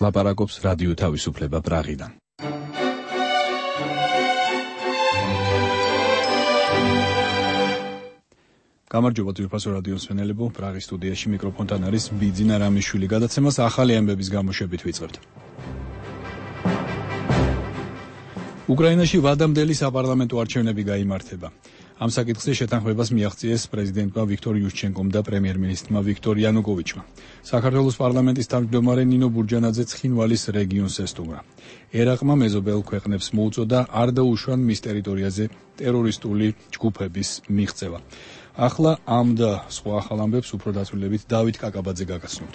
ლაპარაკობს რადიო თავისუფლება პრაღიდან. გამარჯობა ძვირფასო რადიოს მსმენელებო, პრაღის სტუდიაში მიკროფონთან არის ბიძინა რამიშვილი. გადაცემას ახალი ამბების გამოშვებით ვიწყებთ. უკრაინაში ვადამდელი საპარლამენტო არჩევნები გაიმართება. ამ საკითხზე შეთანხმებას მიაღწიეს პრეზიდენტმა ვიქტორ იუშჩენკომ და პრემიერ-მინისტრმა ვიქტორ იანუკოვიჩმა. საქართველოს პარლამენტის თავმჯდომარე ნინო ბურჯანაძე ცხინვალის რეგიონს ესტუმრა. ერაყმა მეზობელ ქვეყნებს მოუწოდა არ დაუშვან მის ტერიტორიაზე ტერორისტული ჯგუფების მიღწევა. ახლა ამ და სხვა ახალ ამბებს უფრო დაწვრილებით დავით კაკაბაძე გაგაცნობთ.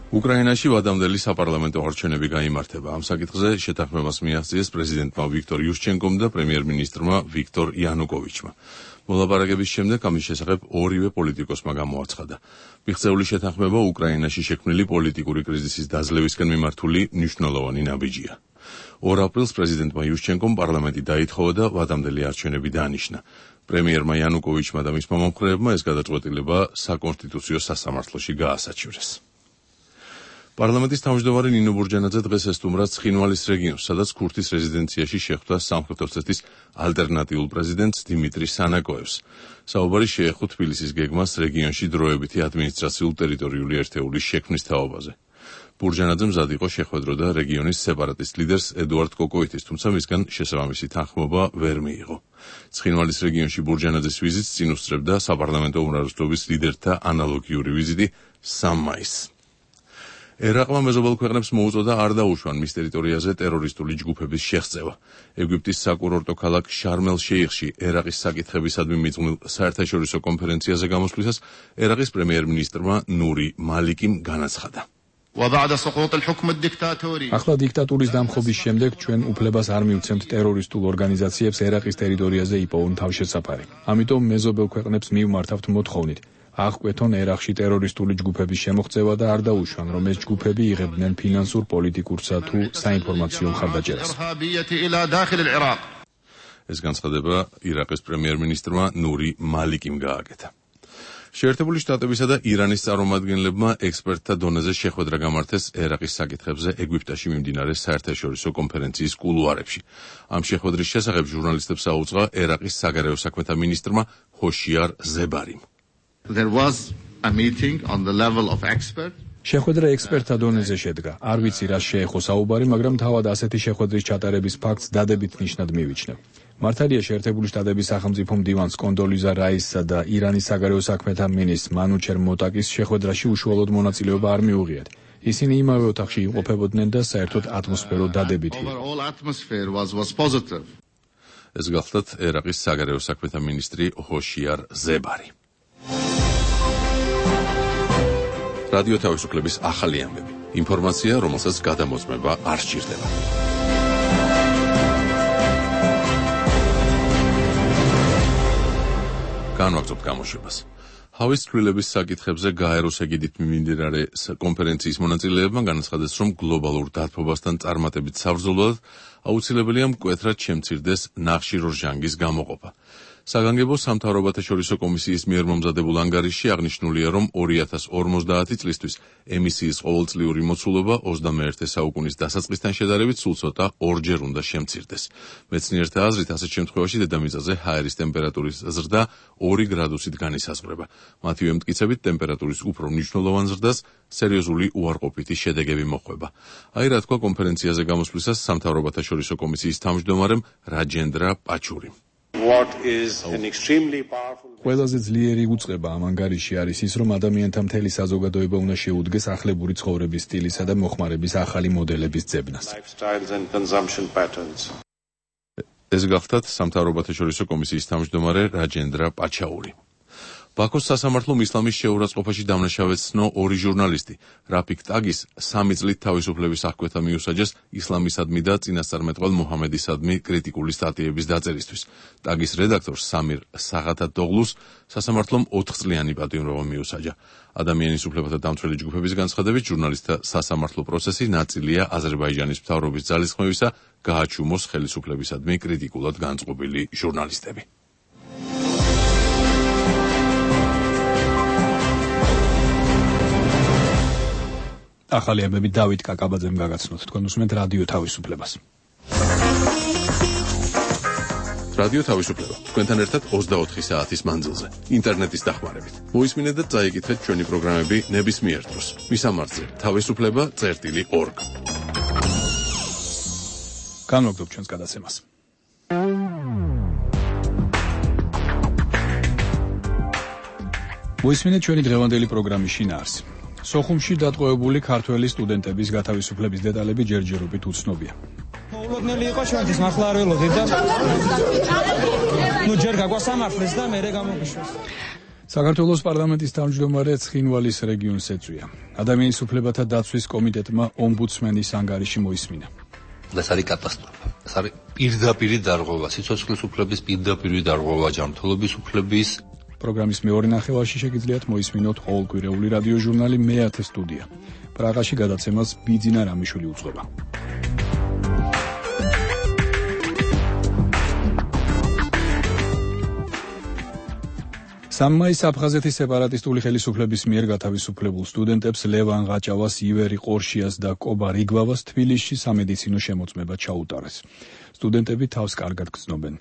უკრაინაში ვადამდელი საპარლამენტო არჩევნები გაიმართება. ამ საკითხზე შეთანხმებას მიაღწიეს პრეზიდენტმა ვიქტორ იუშჩენკომ და პრემიერ-მინისტრმა ვიქტორ იანუკოვიჩმა. მოლაპარაკების შემდეგ ამის შესახებ ორივე პოლიტიკოსმა გამოაცხადა. მიღწეული შეთანხმება უკრაინაში შექმნილი პოლიტიკური კრიზისის დაძლევისკენ მიმართული მნიშვნელოვანი ნაბიჯია. 2 აპრილს პრეზიდენტმა იუშჩენკომ პარლამენტი დაითხოვა და ვადამდელი არჩევნები დაანიშნა. პრემიერმა იანუკოვიჩმა და მისმა მომხრეებმა ეს გადაწყვეტილება საკონსტიტუციო სასამართლოში გაასაჩივრეს. პარლამენტის თავმჯდომარე ნინო ბურჯანაძე დღეს ესტუმრა ცხინვალის რეგიონს, სადაც ქურთის რეზიდენციაში შეხვდა სამხრეთ ოსეთის ალტერნატიულ პრეზიდენტს დიმიტრი სანაკოევს. საუბარი შეეხო თბილისის გეგმას რეგიონში დროებითი ადმინისტრაციულ-ტერიტორიული ერთეულის შექმნის თაობაზე. ბურჯანაძე მზად იყო შეხვედროდა რეგიონის სეპარატისტ ლიდერს ედუარდ კოკოიტის, თუმცა მისგან შესაბამისი თანხმობა ვერ მიიღო. ცხინვალის რეგიონში ბურჯანაძის ვიზიტს წინ უსწრებდა საპარლამენტო უმრავლესობის ლიდერთა ანალოგიური ვიზიტი 3 მაისს. ერაყმა მეზობელ ქვეყნებს მოუწოდა არ დაუშვან მის ტერიტორიაზე ტერორისტული ჯგუფების შეღწევა. ეგვიპტის საკურორტო ქალაქ შარმელ-შეიხში ერაყის საკითხებისადმი მიძღვნილ საერთაშორისო კონფერენციაზე გამოსვლისას ერაყის პრემიერ-მინისტრმა ნური მალიკიმ განაცხადა. ახლა დიქტატურის დამხობის შემდეგ ჩვენ უფლებას არ მივცემთ ტერორისტულ ორგანიზაციებს ერაყის ტერიტორიაზე იპოვონ თავშესაფარი. ამიტომ მეზობელ ქვეყნებს მივმართავთ მოთხოვნით აღკვეთონ ერაყში ტერორისტული ჯგუფების შემოღწევა და არ დაუშვან, რომ ეს ჯგუფები იღებდნენ ფინანსურ, პოლიტიკურსა თუ საინფორმაციო მხარდაჭერას. ეს განცხადება ირაყის პრემიერ-მინისტრმა ნური მალიკიმ გააკეთა. შეერთებული შტატებისა და ირანის წარმომადგენლებმა ექსპერტთა დონეზე შეხვედრა გამართეს ერაყის საკითხებზე ეგვიპტეში მიმდინარე საერთაშორისო კონფერენციის კულუარებში. ამ შეხვედრის შესახებ ჟურნალისტებს აუწყა ერაყის საგარეო საქმეთა მინისტრმა ჰოშიარ ზებარიმ. შეხვედრა ექსპერტთა დონეზე შედგა. არ ვიცი რა შეეხო საუბარი, მაგრამ თავად ასეთი შეხვედრის ჩატარების ფაქტს დადებით ნიშნად მივიჩნევ. მართალია შეერთებული შტატების სახელმწიფო მდივანს კონდოლიზა რაისსა და ირანის საგარეო საქმეთა მინისტრ მანუჩერ მოტაკის შეხვედრაში უშუალოდ მონაწილეობა არ მიუღიათ. ისინი იმავე ოთახში იმყოფებოდნენ და საერთოდ ატმოსფერო დადებითი იყო. ეს გახლდათ ერაყის საგარეო საქმეთა მინისტრი ჰოშიარ ზებარი. რადიო თავისუფლების ახალი ამბები. ინფორმაცია, რომელსაც გადამოწმება არ სჭირდება. განვაგრძობთ გამოშვებას. ჰავის ცვლილების საკითხებზე გაეროს ეგიდით მიმდინარე კონფერენციის მონაწილეებმა განაცხადეს, რომ გლობალურ დათბობასთან წარმატებით საბრძოლოდ აუცილებელია მკვეთრად შემცირდეს ნახშირორჟანგის გამოყოფა. საგანგებო სამთავრობათა შორისო კომისიის მიერ მომზადებულ ანგარიშში აღნიშნულია, რომ 2050 წლისთვის ემისიის ყოველწლიური მოცულობა 21 საუკუნის დასაწყისთან შედარებით სულ ცოტა 2-ჯერ უნდა შემცირდეს. მეცნიერთა აზრით, ასეთ შემთხვევაში დედამიწაზე ჰაერის ტემპერატურის ზრდა 2 გრადუსით განისაზღვრება. მათივე მტკიცებით, ტემპერატურის უფრო მნიშვნელოვან ზრდას სერიოზული უარყოფითი შედეგები მოჰყვება. აი რა თქვა კონფერენციაზე გამოსვლისას სამთავრობათა შორისო კომისიის თავმჯდომარემ რაჯენდრა პაჩურიმ. ყველაზე ძლიერი უწყება ამ ანგარიში არის ის, რომ ადამიანთა მთელი საზოგადოება უნდა შეუდგეს ახლებური ცხოვრების სტილისა და მოხმარების ახალი მოდელების ძებნას. ეს გახლდათ სამთავრობათა შორისო კომისიის თავმჯდომარე რაჯენდრა პაჩაური. ბაქოს სასამართლომ ისლამის შეურაცხყოფაში დამნაშავედ ცნო 2 ჟურნალისტი. რაფიკ ტაგის 3 წლით თავისუფლების აღკვეთა მიუსაჯეს ისლამისადმი და წინასწარმეტყველ მუჰამედისადმი კრიტიკული სტატიების დაწერისთვის. ტაგის რედაქტორ სამირ საღათატოღლუს სასამართლომ 4 წლიანი პატიმრობა მიუსაჯა. ადამიანის უფლებათა დამცველი ჯგუფების განცხადებით, ჟურნალისტთა სასამართლო პროცესი ნაწილია აზერბაიჯანის მთავრობის ძალისხმევისა, გააჩუმოს ხელისუფლებისადმი კრიტიკულად განწყობილი ჟურნალისტები. ახალი ამბები დავით კაკაბაძემ გაგაცნოთ. თქვენ უსმენთ რადიო თავისუფლებას. რადიო თავისუფლება. თქვენთან ერთად 24 საათის მანძილზე, ინტერნეტის დახმარებით. მოისმინეთ და წაიკითხეთ ჩვენი პროგრამები ნებისმიერ დროს. მისამართზე თავისუფლება.org. განმოგდობ ჩვენს გადაცემას. მოისმინეთ ჩვენი დღევანდელი პროგრამის შინაარსი. სოხუმში დატყვევებული ქართველი სტუდენტების გათავისუფლების დეტალები ჯერჯერობით უცნობია. მოულოდნელი იყო ჩვენთვის, მართლა არ ველოდით და ჯერ გაგვასამართლეს და მერე გამოგიშვეს. საქართველოს პარლამენტის თავმჯდომარე ცხინვალის რეგიონს ეწვია. ადამიანის უფლებათა დაცვის კომიტეტმა ომბუდსმენის ანგარიში მოისმინა. ეს არის კატასტროფა. ეს არის პირდაპირი დარღვევა, სიცოცხლის უფლების პირდაპირი დარღვევა, ჯანმრთელობის უფლების. პროგრამის მეორე ნახევარში შეგიძლიათ მოისმინოთ ყოველკვირეული რადიო ჟურნალი მე-10 სტუდია. პრაღაში გადაცემას ბიძინა რამიშვილი უძღვება. სამმაის აფხაზეთის სეპარატისტული ხელისუფლების მიერ გათავისუფლებულ სტუდენტებს ლევან ღაჭავას, ივერი ყორშიას და კობა რიგვავას თბილისში სამედიცინო შემოწმება ჩაუტარეს. სტუდენტები თავს კარგად გრძნობენ.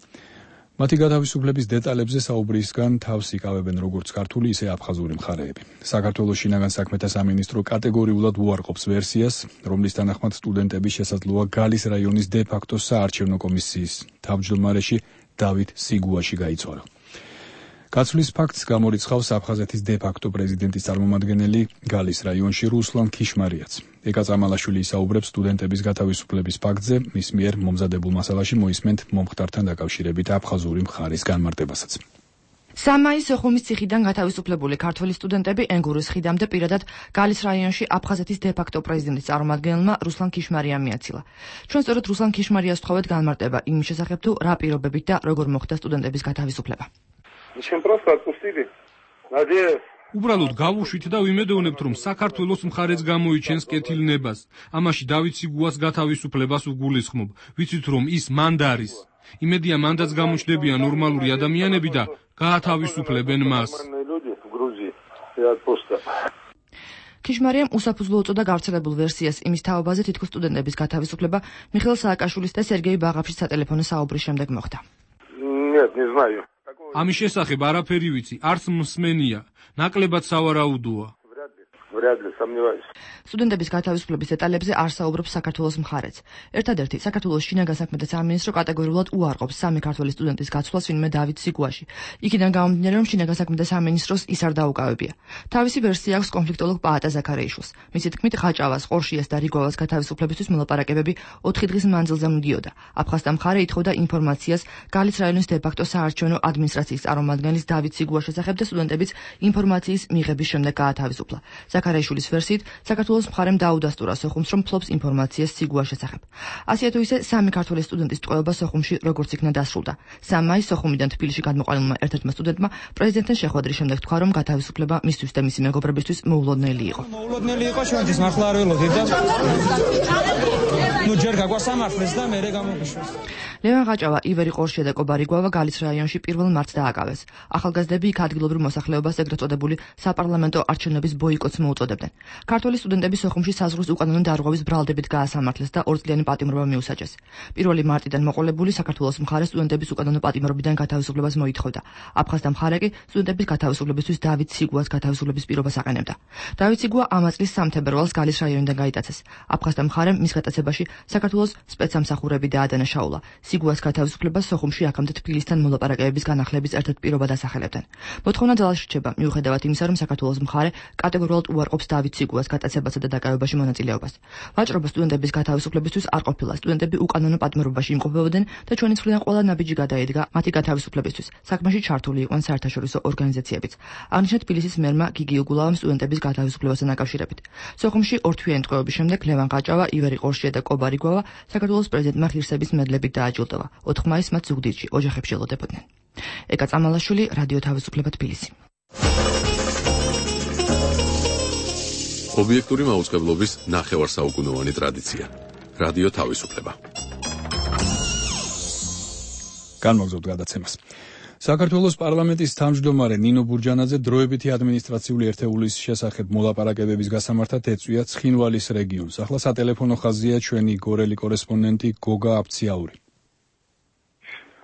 მათი გათავისუფლების დეტალებზე საუბრისგან თავს იკავებენ როგორც ქართული, ისე აფხაზური მხარეები. საქართველოს შინაგან საქმეთა სამინისტრო კატეგორიულად უარყოფს ვერსიას, რომლის თანახმად სტუდენტები შესაძლოა გალის რაიონის დე-ფაქტო საარჩევნო კომისიის თავმჯდომარეში დავით სიგუაში გაიცვალა. გაცვლის ფაქტს გამორიცხავს აფხაზეთის დე-ფაქტო პრეზიდენტის წარმომადგენელი გალის რაიონში რუსლან ქიშმარიაც. ეკა წამალაშვილი ისაუბრებს სტუდენტების გათავისუფლების ფაქტზე, მის მიერ მომზადებულ მასალაში მოისმენთ მომხდართან დაკავშირებით აფხაზური მხარის განმარტებასაც. სამმაის სოხუმის ციხიდან გათავისუფლებული ქართველი სტუდენტები ენგურის ხიდამდე პირადად გალის რაიონში აფხაზეთის დე-ფაქტო პრეზიდენტის წარმომადგენელმა რუსლან ქიშმარიამ მიაცილა. ჩვენ სწორედ რუსლან ქიშმარიას ვთხოვეთ განმარტება იმის შესახებ თუ რა პირობებით და როგორ მოხდა სტუდენტების გათავისუფლება. უბრალოდ გავუშვით და ვიმედოვნებთ, რომ საქართველოს მხარეც გამოიჩენს კეთილნებას. ამაში დავით სიგუას გათავისუფლებას ვგულისხმობ. ვიცით, რომ ის მანდ არის. იმედია მანდაც გამოჩნდებიან ნორმალური ადამიანები და გაათავისუფლებენ მას. ქიშმარიამ უსაფუძვლო უწოდა გავრცელებულ ვერსიას იმის თაობაზე, თითქოს სტუდენტების გათავისუფლება მიხეილ სააკაშვილის და სერგეი ბაღაფშის სატელეფონო საუბრის შემდეგ მოხდა. ამის შესახებ არაფერი ვიცი, არც მსმენია, ნაკლებად სავარაუდოა. სტუდენტების გათავისუფლების დეტალებზე არ საუბრობს საქართველოს მხარეც. ერთადერთი საქართველოს შინაგან საქმეთა სამინისტრო კატეგორიულად უარყოფს სამი ქართველი სტუდენტის გაცვლას ვინმე დავით სიგუაში. იქიდან გამომდინარე, რომ შინაგან საქმეთა სამინისტროს ის არ დაუკავებია. თავისი ვერსია აქვს კონფლიქტოლოგ პაატა ზაქარეიშვილს. მისი თქმით, ღაჭავას, ყორშიას და რიგვავას გათავისუფლებისთვის მოლაპარაკებები 4 დღის მანძილზე მიდიოდა. აფხაზთა მხარე ითხოვდა ინფორმაციას გალის რაიონის დე-ფაქტო საარჩევნო ადმინისტრაციის წარმომადგენლის დავით სიგუას შესახებ და სტუდენტებიც ინფორმაციის მიღების შემდეგ გაათავისუფლა. ზაქარეიშვილის ვერსიით, საქართველოს მხარემ დაუდასტურა სოხუმს, რომ ფლობს ინფორმაციას სიგუას შესახებ. ასეა თუ ისე, სამი ქართველი სტუდენტის ტყვეობა სოხუმში როგორც იქნა დასრულდა. 3 მაისს სოხუმიდან თბილისში გადმოყალიბებულმა ერთ-ერთმა სტუდენტმა პრეზიდენტთან შეხვედრის შემდეგ თქვა, რომ გათავისუფლება მისთვის და მისი მეგობრებისთვის მოულოდნელი იყო. მოულოდნელი იყო ჩვენთვის, მართლა არ ველოდით და ჯერ გაგვასამართლეს და მერე გამოგიშვეს. ლევან ღაჭავა, ივერი ყორშია და კობა რიგვავა გალის რაიონში 1 მარტს დააკავეს. ახალგაზრდები იქ ადგილობრივ მოსახლეობას ეგრეთ წოდებული საპარლამენტო არჩევნების ბოიკოტს მოუწოდებდნენ. ქართველი სტუდენტები სოხუმში საზღვრის უკანონო დარღვევის ბრალდებით გაასამართლეს და 2 წლიანი პატიმრობა მიუსაჯეს. 1 მარტიდან მოყოლებული საქართველოს მხარე სტუდენტების უკანონო პატიმრობიდან გათავისუფლებას მოითხოვდა. აფხაზთა მხარე კი სტუდენტების გათავისუფლებისთვის დავით სიგუას გათავისუფლების პირობას აყენებდა. დავით სიგუა ამ წლის 3 თებერვალს გალის რაიონიდან გაიტაცეს. აფხაზთა მხარემ მის გატაცებაში საქართველოს სპეცსამსახურები დაადანაშაულა. სიგუას გათავისუფლებას სოხუმში აქამდე თბილისთან მოლაპარაკებების განახლების ერთ-ერთ პირობად ასახელებდნენ. მოთხოვნა ძალაში რჩება, მიუხედავად იმისა, რომ საქართველოს მხარე კატეგორიულად უარყოფს დავით სიგუას გატაცებასა და დაკავებაში მონაწილეობას. ვაჭრობა სტუდენტების გათავისუფლებისთვის არ ყოფილა. სტუდენტები უკანონო პატიმრობაში იმყოფებოდნენ და ჩვენი მხრიდან ყველა ნაბიჯი გადაედგა მათი გათავისუფლებისთვის. საქმეში ჩართული იყვნენ საერთაშორისო ორგანიზაციებიც. აღნიშნეთ თბილისის მერმა გიგი უგულავამ სტუდენტების გათავისუფლებასთან დაკავშირებით. სოხუმში 2 თვიანი ტყვეობის შემდეგ ლევან ღაჭავა, ივერი ყორშია და კობა რიგვავა საქართველოს პრეზიდენტმა ღირსების მედლებით დააჯილდოვა. 4 მაისს მათ ზუგდიდში ოჯახებში ელოდებოდნენ. ეკა წამალაშვილი, რადიო თავისუფლება თბილისი. ობიექტური მაუწყებლობის ნახევარსაუკუნოვანი ტრადიცია. რადიო თავისუფლება. განმოგზავნოთ გადაცემას. საქართველოს პარლამენტის თავმჯდომარე ნინო ბურჯანაძე დროებითი ადმინისტრაციული ერთეულის შესახებ მოლაპარაკებების გასამართად ეწვია ცხინვალის რეგიონს. ახლა სატელეფონო ხაზია ჩვენი გორელი კორესპონდენტი გოგა აფციაური.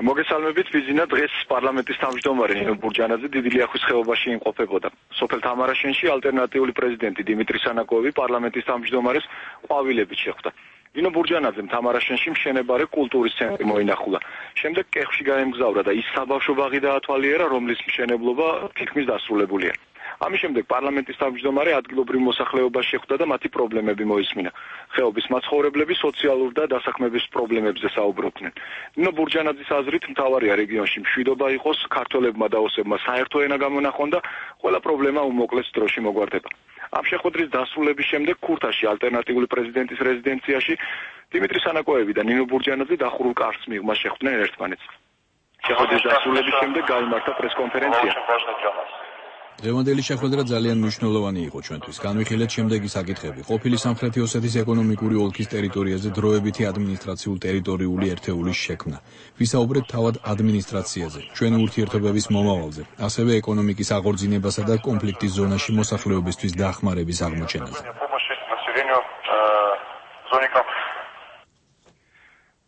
მოგესალმებით, ბიზინა. დღეს პარლამენტის თავმჯდომარე ნინო ბურჯანაძე დიდი ლიახვის ხეობაში იმყოფებოდა. სოფელ თამარაშენში ალტერნატიული პრეზიდენტი დიმიტრი სანაკოევი პარლამენტის თავმჯდომარეს ყვავილებით შეხვდა. ნინო ბურჯანაძემ თამარაშენში მშენებარე კულტურის ცენტრი მოინახულა. შემდეგ კეხში გაემგზავრა და ის საბავშვო ბაღი დაათვალიერა, რომლის მშენებლობა თითქმის დასრულებულია. ამის შემდეგ პარლამენტის თავმჯდომარე ადგილობრივ მოსახლეობას შეხვდა და მათი პრობლემები მოისმინა. ხეობის მაცხოვრებლები სოციალურ და დასაქმების პრობლემებზე საუბრობდნენ. ნინო ბურჯანაძის აზრით მთავარია რეგიონში მშვიდობა იყოს, ქართველებმა და ოსებმა საერთო ენა გამონახონ და ყველა პრობლემა უმოკლეს დროში მოგვარდება. ამ შეხვედრის დასრულების შემდეგ ქურთაში ალტერნატიული პრეზიდენტის რეზიდენციაში დიმიტრი სანაკოევი და ნინო ბურჯანაძე დახურულ კარს მიღმა შეხვდნენ ერთმანეთს. შეხვედრის დასრულების შემდეგ გაიმართა პრესკონფერენცია. დღევანდელი შეხვედრა ძალიან მნიშვნელოვანი იყო ჩვენთვის. განვიხილეთ შემდეგი საკითხები: ყოფილი სამხრეთი ოსეთის ეკონომიკური ოლქის ტერიტორიაზე დროებითი ადმინისტრაციულ ტერიტორიული ერთეულის შექმნა. ვისაუბრეთ თავად ადმინისტრაციაზე, ჩვენი ურთიერთობების მომავალზე, ასევე ეკონომიკის აღორძინებასა და კონფლიქტის ზონაში მოსახლეობისთვის დახმარების აღმოჩენაზე.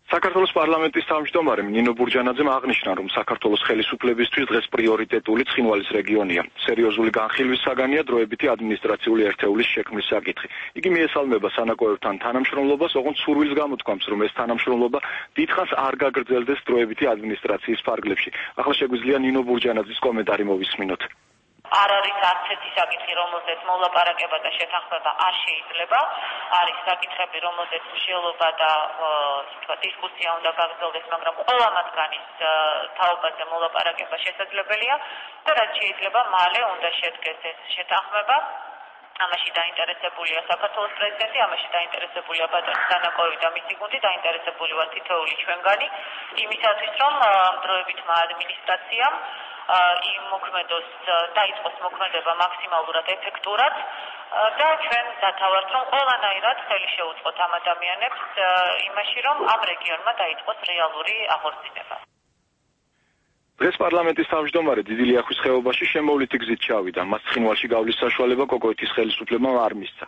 საქართველოს პარლამენტის თავმჯდომარემ ნინო ბურჯანაძემ აღნიშნა, რომ საქართველოს ხელისუფლებისთვის დღეს პრიორიტეტული ცხინვალის რეგიონია. სერიოზული განხილვის საგანია დროებითი ადმინისტრაციული ერთეულის შექმნის საკითხი. იგი მიესალმება სანაკოევთან თანამშრომლობას, ოღონდ სურვილს გამოთქვამს, რომ ეს თანამშრომლობა დიდხანს არ გაგრძელდეს დროებითი ადმინისტრაციის ფარგლებში. ახლა შეგვიძლია ნინო ბურჯანაძის კომენტარი მოვისმინოთ. არ არის არც ერთი საკითხი, რომელზეც მოლაპარაკება და შეთანხმება არ შეიძლება. არის საკითხები, რომელზეც მსჯელობა და დისკუსია უნდა გაგრძელდეს, მაგრამ ყველა მათგანის თაობაზე მოლაპარაკება შესაძლებელია და რაც შეიძლება მალე უნდა შედგეს ეს შეთანხმება. ამაში დაინტერესებულია საქართველოს პრეზიდენტი, ამაში დაინტერესებულია ბატონი სანაკოევი და მისი გუნდი, დაინტერესებული ვართ თითოეული ჩვენგანი, იმისათვის რომ დროებითმა ადმინისტრაციამ იმოქმედოს, დაიწყოს მოქმედება მაქსიმალურად ეფექტურად და ჩვენ დათავართ, რომ ყველანაირად ხელი შეუწყოთ ამ ადამიანებს იმაში, რომ ამ რეგიონმა დაიწყოს რეალური აღორძინება. დღეს პარლამენტის თავმჯდომარე დიდი ლიახვის ხეობაში შემოვლითი გზით ჩავიდა. მას ცხინვალში გავლის საშუალება კოკოეთის ხელისუფლებამ არ მისცა.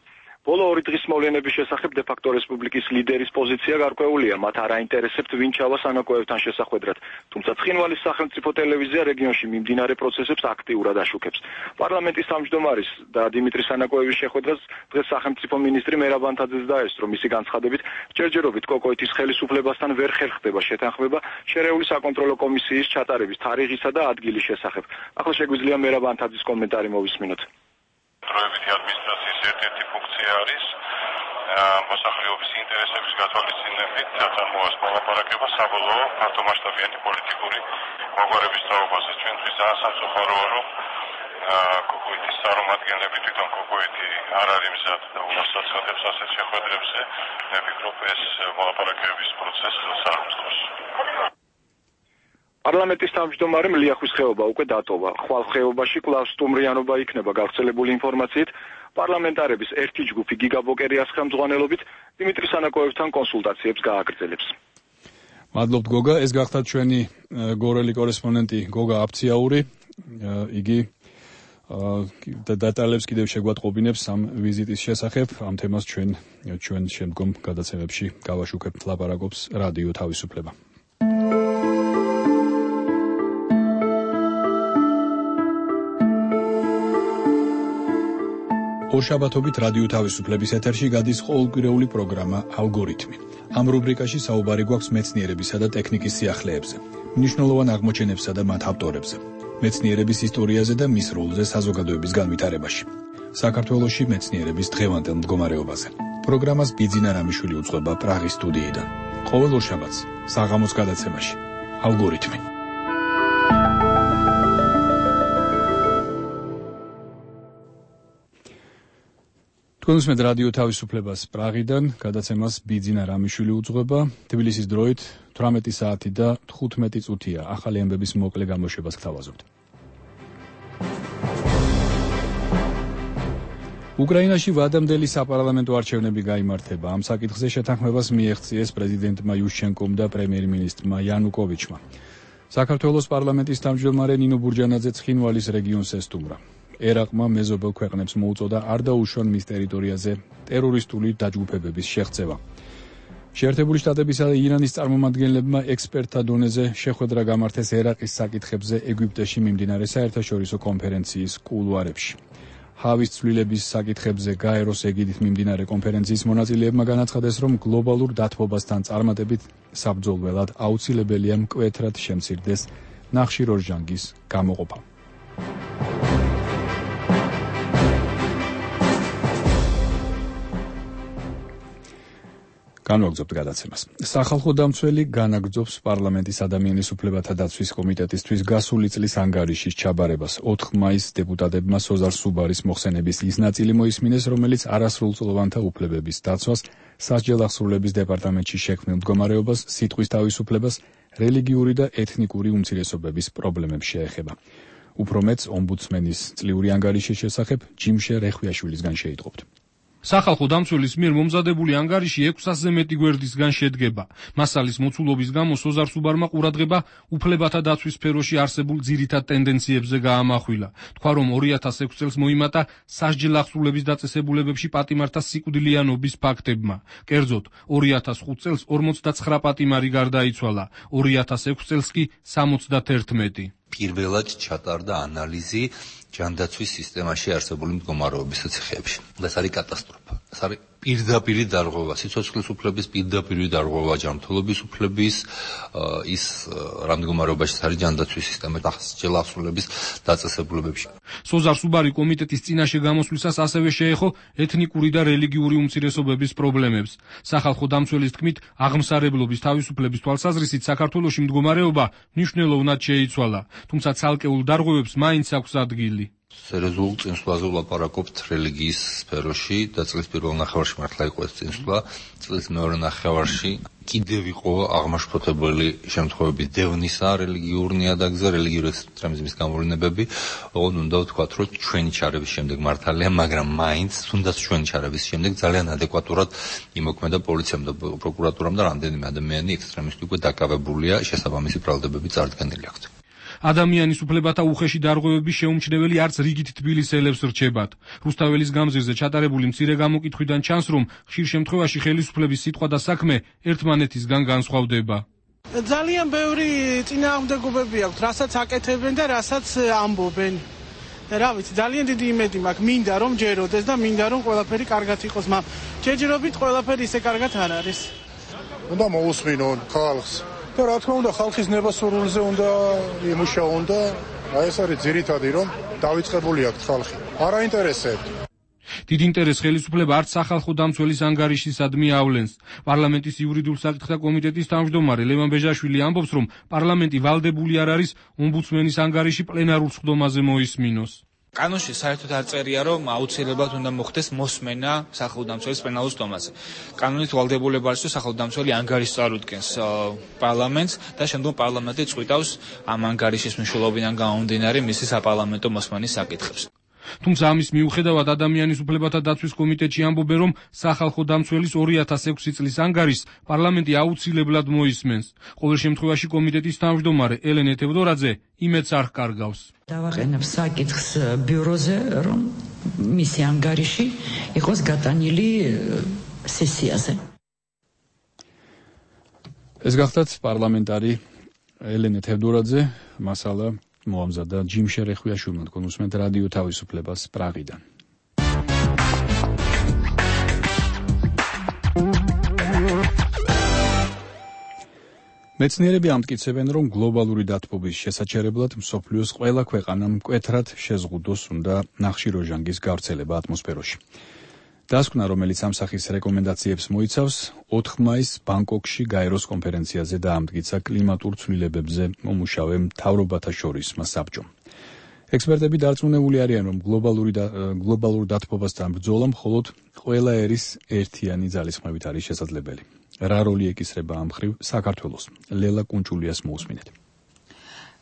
ბოლო 2 დღის მოვლენების შესახებ დე-ფაქტო რესპუბლიკის ლიდერის პოზიცია გარკვეულია. მათ არ აინტერესებთ ვინ ჩავა სანაკოევთან შესახვედრად. თუმცა ცხინვალის სახელმწიფო ტელევიზია რეგიონში მიმდინარე პროცესებს აქტიურად აშუქებს. პარლამენტის თავმჯდომარის და დიმიტრი სანაკოევის შეხვედრას დღეს სახელმწიფო მინისტრი მერაბ ანთაძეს დაესწრო. მისი განცხადებით, ჯერჯერობით კოკოეთის ხელისუფლებასთან ვერ ხერხდება შეთანხმება შერეული საკონტროლო კომისიის ჩატარების თარიღისა და ადგილის შესახებ. ახლა შეგვიძლია მერაბ ანთაძის კომენტარი მოვისმინოთ. დროებითი ადმინისტრაციის ერთ-ერთი ფუნქცია არის მოსახლეობის ინტერესების გათვალისწინებით წარმოას მოლაპარაკება საბოლოო ფართომასშტაბიანი პოლიტიკური მოგვარების თაობაზე. ჩვენთვის ძალიან სამწუხაროა, რომ კოკოეთის წარმომადგენლები თვითონ კოკოეთი არ არის მზად და უასაცხადებს ასეთ შეხვედრებზე. მე ვფიქრობ, ეს მოლაპარაკების პროცესს საერთოდ პარლამენტის თავმჯდომარემ ლიახვის ხეობა უკვე დატოვა. ხვალ ხეობაში კვლავ სტუმრიანობა იქნება. გავრცელებული ინფორმაციით, პარლამენტარების ერთი ჯგუფი გიგაბოკერიას ხელმძღვანელობით დიმიტრი სანაკოევთან კონსულტაციებს გააგრძელებს. მადლობთ გოგა, ეს გახდა ჩვენი გორელი კორესპონდენტი გოგა აფციაური. იგი დეტალებს კიდევ შეგვატყობინებს ამ ვიზიტის შესახებ. ამ თემას ჩვენ შემდგომ გადაცემებში გავაშუქებთ. ლაპარაკობს რადიო თავისუფლება. ორშაბათობით რადიო თავისუფლების ეთერში გადის ყოველკვირეული პროგრამა ალგორითმი. ამ რუბრიკაში საუბარი გვაქვს მეცნიერებისა და ტექნიკის სიახლეებზე, მნიშვნელოვან აღმოჩენებსა და მათ ავტორებზე, მეცნიერების ისტორიაზე და მის როლზე საზოგადოების განვითარებაში. საქართველოში მეცნიერების დღევანდელ მდგომარეობაზე. პროგრამას ბიძინა რამიშვილი უძღვება პრაღის სტუდიიდან. ყოველ ორშაბათს საღამოს გადაცემაში ალგორითმი. კონსმედ რადიო თავისუფლებას პრაღიდან გადაცემას ბიძინა რამიშვილი უძღვება. თბილისის დროით 18 საათი და 15 წუთია. ახალი ამბების მოკლე გამოშვებას გთავაზობთ. უკრაინაში ვადამდელი საპარლამენტო არჩევნები გაიმართება. ამ საკითხზე შეთანხმებას მიეღწიეს პრეზიდენტმა იუშჩენკომ და პრემიერ-მინისტრმა იანუკოვიჩმა. საქართველოს პარლამენტის თავმჯდომარე ნინო ბურჯანაძე ცხინვალის რეგიონს ესტუმრა. ერაყმა მეზობელ ქვეყნებს მოუწოდა არ დაუშვან მის ტერიტორიაზე ტერორისტული დაჯგუფებების შეღწევა. შეერთებული შტატებისა და ირანის წარმომადგენლებმა ექსპერტთა დონეზე შეხვედრა გამართეს ერაყის საკითხებზე ეგვიპტეში მიმდინარე საერთაშორისო კონფერენციის კულუარებში. ჰავის ცვლილების საკითხებზე გაეროს ეგიდით მიმდინარე კონფერენციის მონაწილეებმა განაცხადეს, რომ გლობალურ დათბობასთან წარმატებით საბრძოლველად აუცილებელია მკვეთრად შემცირდეს ნახშირორჟანგის გამოყოფა. განვაგრძობთ გადაცემას. სახალხო დამცველი განაგრძობს პარლამენტის ადამიანის უფლებათა დაცვის კომიტეტისთვის გასული წლის ანგარიშის ჩაბარებას. 4 მაისს დეპუტატებმა სოზარ სუბარის მოხსენების ის ნაწილი მოისმინეს, რომელიც არასრულწლოვანთა უფლებების დაცვას, სასჯელ აღსრულების დეპარტამენტში შექმნილ მდგომარეობას, სიტყვის თავისუფლებას, რელიგიური და ეთნიკური უმცირესობების პრობლემებს შეეხება. უფრო მეც ომბუდსმენის წლიური ანგარიშის შესახებ ჯიმშე რეხვიაშვილისგან შეიტყობთ. სახალხო დამცველის მიერ მომზადებული ანგარიში 600-ზე მეტი გვერდისგან შედგება. მასალის მოცულობის გამო სოზარ სუბარმა ყურადღება უფლებათა დაცვის სფეროში არსებულ ძირითად ტენდენციებზე გაამახვილა. თქვა, რომ 2006 წელს მოიმატა სასჯელ აღსრულების დაწესებულებებში პატიმართა სიკვდილიანობის ფაქტებმა. კერძოდ, 2005 წელს 49 პატიმარი გარდაიცვალა, 2006 წელს კი 71. პირველად ჩატარდა ანალიზი ჯანდაცვის სისტემაში არსებული მდგომარეობის ციხეებში. ეს არის კატასტროფა. ეს არის პირდაპირი დარღვევა, სიცოცხლის უფლების პირდაპირი დარღვევა, ჯანმრთელობის უფლების ის რა მდგომარეობაში არის ჯანდაცვის სისტემა სასჯელ აღსრულების დაწესებულებებში. სოზარ სუბარი კომიტეტის წინაშე გამოსვლისას ასევე შეეხო ეთნიკური და რელიგიური უმცირესობების პრობლემებს. სახალხო დამცველის თქმით, აღმსარებლობის თავისუფლების თვალსაზრისით საქართველოში მდგომარეობა მნიშვნელოვნად შეიცვალა, თუმცა ცალკეულ დარღვევებს მაინც აქვს ადგილი. სერიოზულ წინსვლაზე ვლაპარაკობთ რელიგიის სფეროში და წლის პირველ ნახევარში მართლა იყო ეს წინსვლა. წლის მეორე ნახევარში კიდევ იყო აღმაშფოთებელი შემთხვევების დევნისა რელიგიურ ნიადაგზე, რელიგიური ექსტრემიზმის გამოვლენებები. ოღონდ უნდა ვთქვათ, რომ ჩვენი ჩარევის შემდეგ მართალია, მაგრამ მაინც თუნდაც ჩვენი ჩარევის შემდეგ ძალიან ადეკვატურად იმოქმედა პოლიციამ და პროკურატურამ და რამდენიმე ადამიანი ექსტრემისტი უკვე დაკავებულია, შესაბამისი ბრალდებები წარდგენილი აქვთ. ადამიანის უფლებათა უხეში დარღვევების შეუმჩნეველი არც რიგით თბილისელებს რჩებათ. რუსთაველის გამზირზე ჩატარებული მცირე გამოკითხვიდან ჩანს, რომ ხშირ შემთხვევაში ხელისუფლების სიტყვა და საქმე ერთმანეთისგან განსხვავდება. ძალიან ბევრი წინააღმდეგობები აქვს, რასაც აკეთებენ და რასაც ამბობენ. რა ვიცი, ძალიან დიდი იმედი მაქვს, მინდა რომ ჯეროდეს და მინდა რომ ყველაფერი კარგად იყოს, მაგრამ ჯერჯერობით ყველაფერი ისე კარგად არ არის. უნდა მოусმინონ ხალხს. და რა თქმა უნდა ხალხის ნებასრულზე უნდა იმუშაონ და ეს არის ძირითადი რომ დავიწყებული აქვს ხალხი. არ აინტერესებთ. დიდ ინტერესს ხელისუფლება არც სახალხო დამცველის ანგარიშისადმი ავლენს. პარლამენტის იურიდიულ საკითხთა კომიტეტის თავმჯდომარე ლევან ბეჟაშვილი ამბობს, რომ პარლამენტი ვალდებული არ არის ომბუდსმენის ანგარიში პლენარულ სხდომაზე მოისმინოს. კანონში საერთოდ არ წერია, რომ აუცილებლად უნდა მოხდეს მოსმენა სახალხო დამცველის პლენარულ სხდომაზე. კანონით ვალდებულება არის, რომ სახალხო დამცველი ანგარიშს წარუდგენს პარლამენტს და შემდგომ პარლამენტი წყვიტავს ამ ანგარიშის მნიშვნელობიდან გამომდინარე მისი საპარლამენტო მოსმენის საკითხებს. თუმცა ამის მიუხედავად ადამიანის უფლებათა დაცვის კომიტეტში ამბობენ, რომ სახალხო დამცველის 2006 წლის ანგარიშს პარლამენტი აუცილებლად მოისმენს. ყოველ შემთხვევაში კომიტეტის თავმჯდომარე ელენე თევდორაძე იმედს არ ჰკარგავს. დავაყენებ საკითხს ბიუროზე, რომ მისი ანგარიში იყოს გატანილი სესიაზე. ეს გახდათ პარლამენტარი ელენე თევდორაძე, მასალა მოამზადა ჯიმშე რეხვიაშვილმა, თქვენ უსმენთ რადიო თავისუფლებას პრაღიდან. მეცნიერები ამტკიცებენ, რომ გლობალური დათბობის შესაჩერებლად მსოფლიოს ყველა ქვეყანამ მკვეთრად შეზღუდოს უნდა ნახშირორჟანგის გავრცელება ატმოსფეროში. დასკვნა, რომელიც ამ სახის რეკომენდაციებს მოიცავს, 4 მაისს ბანგკოკში გაეროს კონფერენციაზე დაამტკიცა კლიმატურ ცვლილებებზე მომუშავე მთავრობათა შორის საბჭომ. ექსპერტები დარწმუნებული არიან, რომ გლობალურ დათბობასთან ბრძოლა მხოლოდ ყველა ერის ერთიანი ძალისხმევით არის შესაძლებელი. რა როლი ეკისრება ამ მხრივ საქართველოს? ლელა კუნჭულიას მოусმინეთ.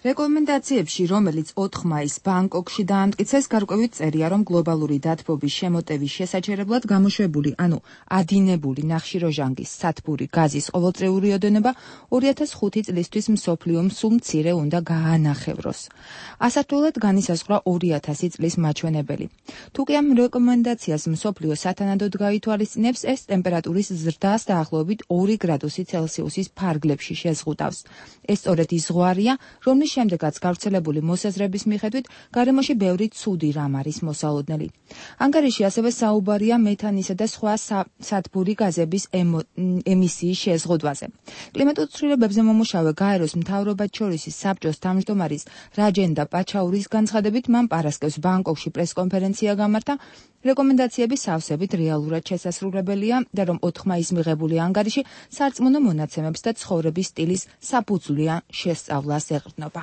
რეკომენდაციებში, რომელიც 4 მაისს ბანგკოკში დაამტკიცეს, გარკვევით წერია, რომ გლობალური დათბობის შემოტევის შესაჩერებლად გამოშვებული, ანუ ადინებული ნახშირორჟანგის სათბური გაზის ყოველწლიური ოდენობა 2005 წლისთვის მსოფლიომ სულ მცირე უნდა გაანახევროს. ასართულად განისაზღვრა 2000 წლის მაჩვენებელი. თუკი ამ რეკომენდაციას მსოფლიო სათანადოდ გაითვალისწინებს, ეს ტემპერატურის ზრდას დაახლოებით 2 გრადუსი ცელსიუსის ფარგლებში შეზღუდავს. ეს სწორედ ის ზღვარია, რომლის შემდეგაც გავრცელებული მოსაზრების მიხედვით გარემოში ბევრი ცუდი რამ არის მოსალოდნელი. ანგარიში ასევე საუბარია მეთანისა და სხვა სათბური გაზების ემისიის შეზღუდვაზე. კლიმატურ ცვლილებებზე მომუშავე გაეროს მთავრობათშორისი საბჭოს თავმჯდომარის რაჯენდა პაჩაურის განცხადებით, მან პარასკევს ბანგკოკში პრესკონფერენცია გამართა. რეკომენდაციები სავსებით რეალურად შესასრულებელია და რომ 4 მაისს მიღებული ანგარიში სარწმუნო მონაცემებს და ცხოვრების სტილის საფუძვლიან შესწავლას ეყრდნობა.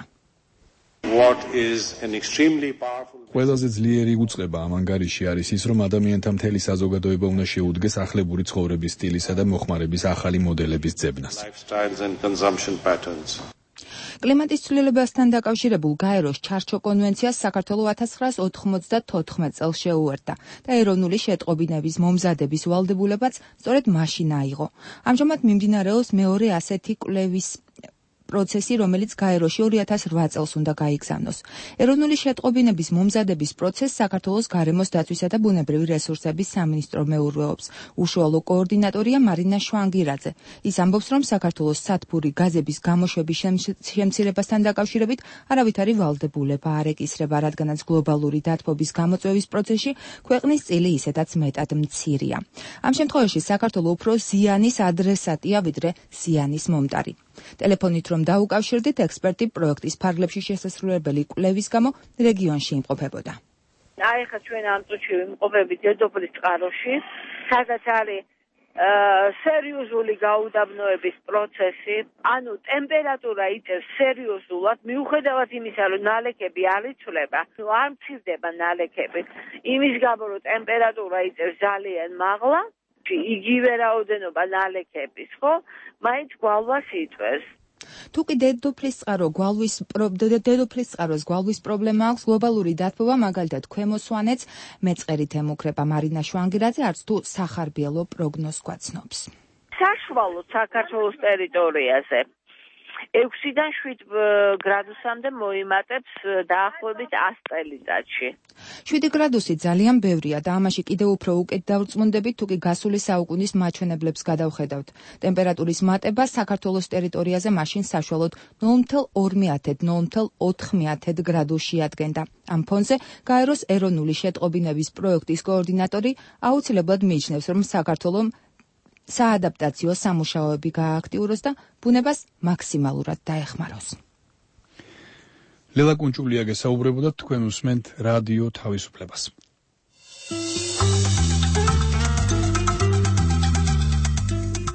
ყველაზე ძლიერი უწყება ამ ანგარიში არის ის, რომ ადამიანთა მთელი საზოგადოება უნდა შეუდგეს ახლებური ცხოვრების სტილისა და მოხმარების ახალი მოდელების ძებნას. კლიმატის ცვლილებასთან დაკავშირებულ გაეროს ჩარჩო კონვენციას საქართველო 1994 წელს შეუერთდა და ეროვნული შეტყობინების მომზადების ვალდებულებაც სწორედ მაშინ აიღო. ამჟამად მიმდინარეობს მეორე ასეთი კვლევის პროცესი, რომელიც გაეროში 2008 წელს უნდა გაიგზავნოს. ეროვნული შეტყობინების მომზადების პროცესს საქართველოს გარემოს დაცვისა და ბუნებრივი რესურსების სამინისტრო მეურვეობს. უშუალო კოორდინატორია მარინა შვანგირაძე. ის ამბობს, რომ საქართველოს სათბური გაზების გამოშვების შემცირებასთან დაკავშირებით არავით არის ვალდებულება არ ეკისრება, რადგანაც გლობალური დათბობის გამოწვევის პროცესში ქვეყნის წილი ისედაც მეტად მცირეა. ამ შემთხვევაში საქართველო უფრო ზიანის ადრესატია, ვიდრე ზიანის მომტარი. ტელეფონით რომ დაუკავშირდით, ექსპერტი პროექტის ფარგლებში შესასრულებელი კვლევის გამო რეგიონში იმყოფებოდა. ახლა ჩვენ ამ წუთში ვიმყოფებით დედოფლის წყაროში, სადაც არის სერიოზული გაუდაბნოების პროცესი, ანუ ტემპერატურა იწევს სერიოზულად, მიუხედავად იმისა, რომ ნალექები არ იცვლება, არ მცირდება ნალექები. იმის გამო, რომ ტემპერატურა იწევს ძალიან მაღლა, იგივე რაოდენობა ნალექების, ხო? მაინც გვალვას იწვევს. თუკი დედოფლის წყაროს გვალვის პრობლემა აქვს, გლობალური დათბობა მაგალითად ქვემო სვანეთს მეწყერით ემუქრება. მარინა შვანგირაძე არც თუ სახარბიელო პროგნოზს გვაცნობს. საშუალოდ საქართველოს ტერიტორიაზე 6-დან 7 გრადუსამდე მოიმატებს დაახლოებით 100 წელიწადში. 7 გრადუსი ძალიან ბევრია და ამაში კიდევ უფრო უკეთ დავრწმუნდებით, თუკი გასული საუკუნის მაჩვენებლებს გადავხედავთ. ტემპერატურის მატება საქართველოს ტერიტორიაზე მაშინ საშუალოდ 0,2-0,4 გრადუსში ადგენდა. ამ ფონზე გაეროს ეროვნული შეტყობინების პროექტის კოორდინატორი აუცილებლად მიიჩნევს, რომ საქართველოს საადაპტაციო სამუშაოები გააქტიუროს და ბუნებას მაქსიმალურად დაეხმაროს. ლელა კუნჭულია გესაუბრებოდა, თქვენ უსმენთ რადიო თავისუფლებას.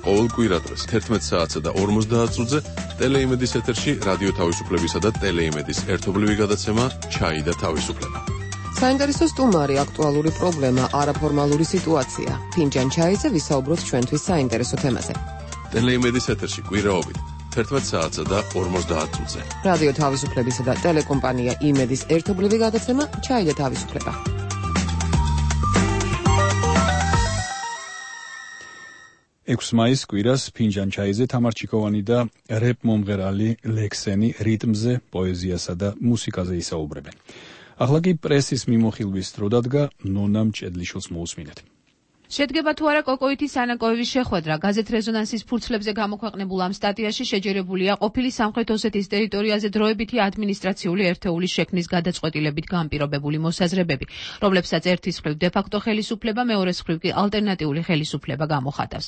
ყოველ კვირადღეს 11 საათსა და 50 წუთზე ტელეიმედის ეთერში რადიო თავისუფლებისა და ტელეიმედის ერთობლივი გადაცემა ჩაი და თავისუფლება. საინტერესო სტუმარი, აქტუალური პრობლემა, არაფორმალური სიტუაცია. ფინჯან ჩაიზე ვისაუბროთ ჩვენთვის საინტერესო თემაზე. ტელეიმედის ეთერში კვირაობით 11 საათსა და 50 წუთზე. რადიო თავისუფლებისა და ტელეკომპანია იმედის ერთობლივი გადაცემა ჩაი და თავისუფლება. მაისს კვირას ფინჯან ჩაიზე თამარ ჩიკოვანი და რეპ მომღერალი ლექსენი რიტმზე, პოეზიასა და მუსიკაზე ისაუბრებენ. ახლა კი პრესის მიმოხილვის დრო დადგა, ნონა მჭედლიშვილს მოусმინეთ. შედგება თუ არა კოკოითის სანაკოევის შეხვედრა. გაზეთ რეზონანსის ფურცლებზე გამოქვეყნებულ ამ სტატიაში შეჯერებულია ყოფილი სამხრეთ ოსეთის ტერიტორიაზე დროებითი ადმინისტრაციული ერთეულის შექმნის გადაწყვეტილებით განპირობებული მოსაზრებები, რომლებსაც ერთის მხრივ დე-ფაქტო ხელისუფლება, მეორეს მხრივ კი ალტერნატიული ხელისუფლება გამოხატავს.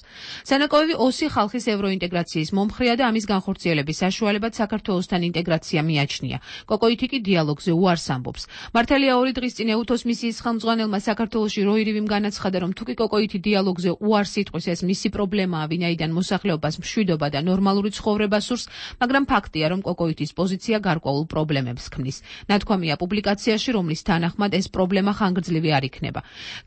სანაკოევი ოსი ხალხის ევროინტეგრაციის მომხრეა და ამის განხორციელების საშუალებად საქართველოსთან ინტეგრაცია მიაჩნია. კოკოითი კი დიალოგზე უარს ამბობს. მართალია 2 დღის წინ ეუთოს მისიის ხელმძღვანელმა საქართველოში როირივიმ განაცხადა, რომ თუკი კოკოითი დიალოგზე უარს იტყვის, ეს მისი პრობლემაა, ვინაიდან მოსახლეობას მშვიდობა და ნორმალური ცხოვრება სურს, მაგრამ ფაქტია, რომ კოკოითის პოზიცია გარკვეულ პრობლემებს ქმნის. ნათქვამია პუბლიკაციაში, რომლის თანახმად ეს პრობლემა ხანგრძლივი არ იქნება.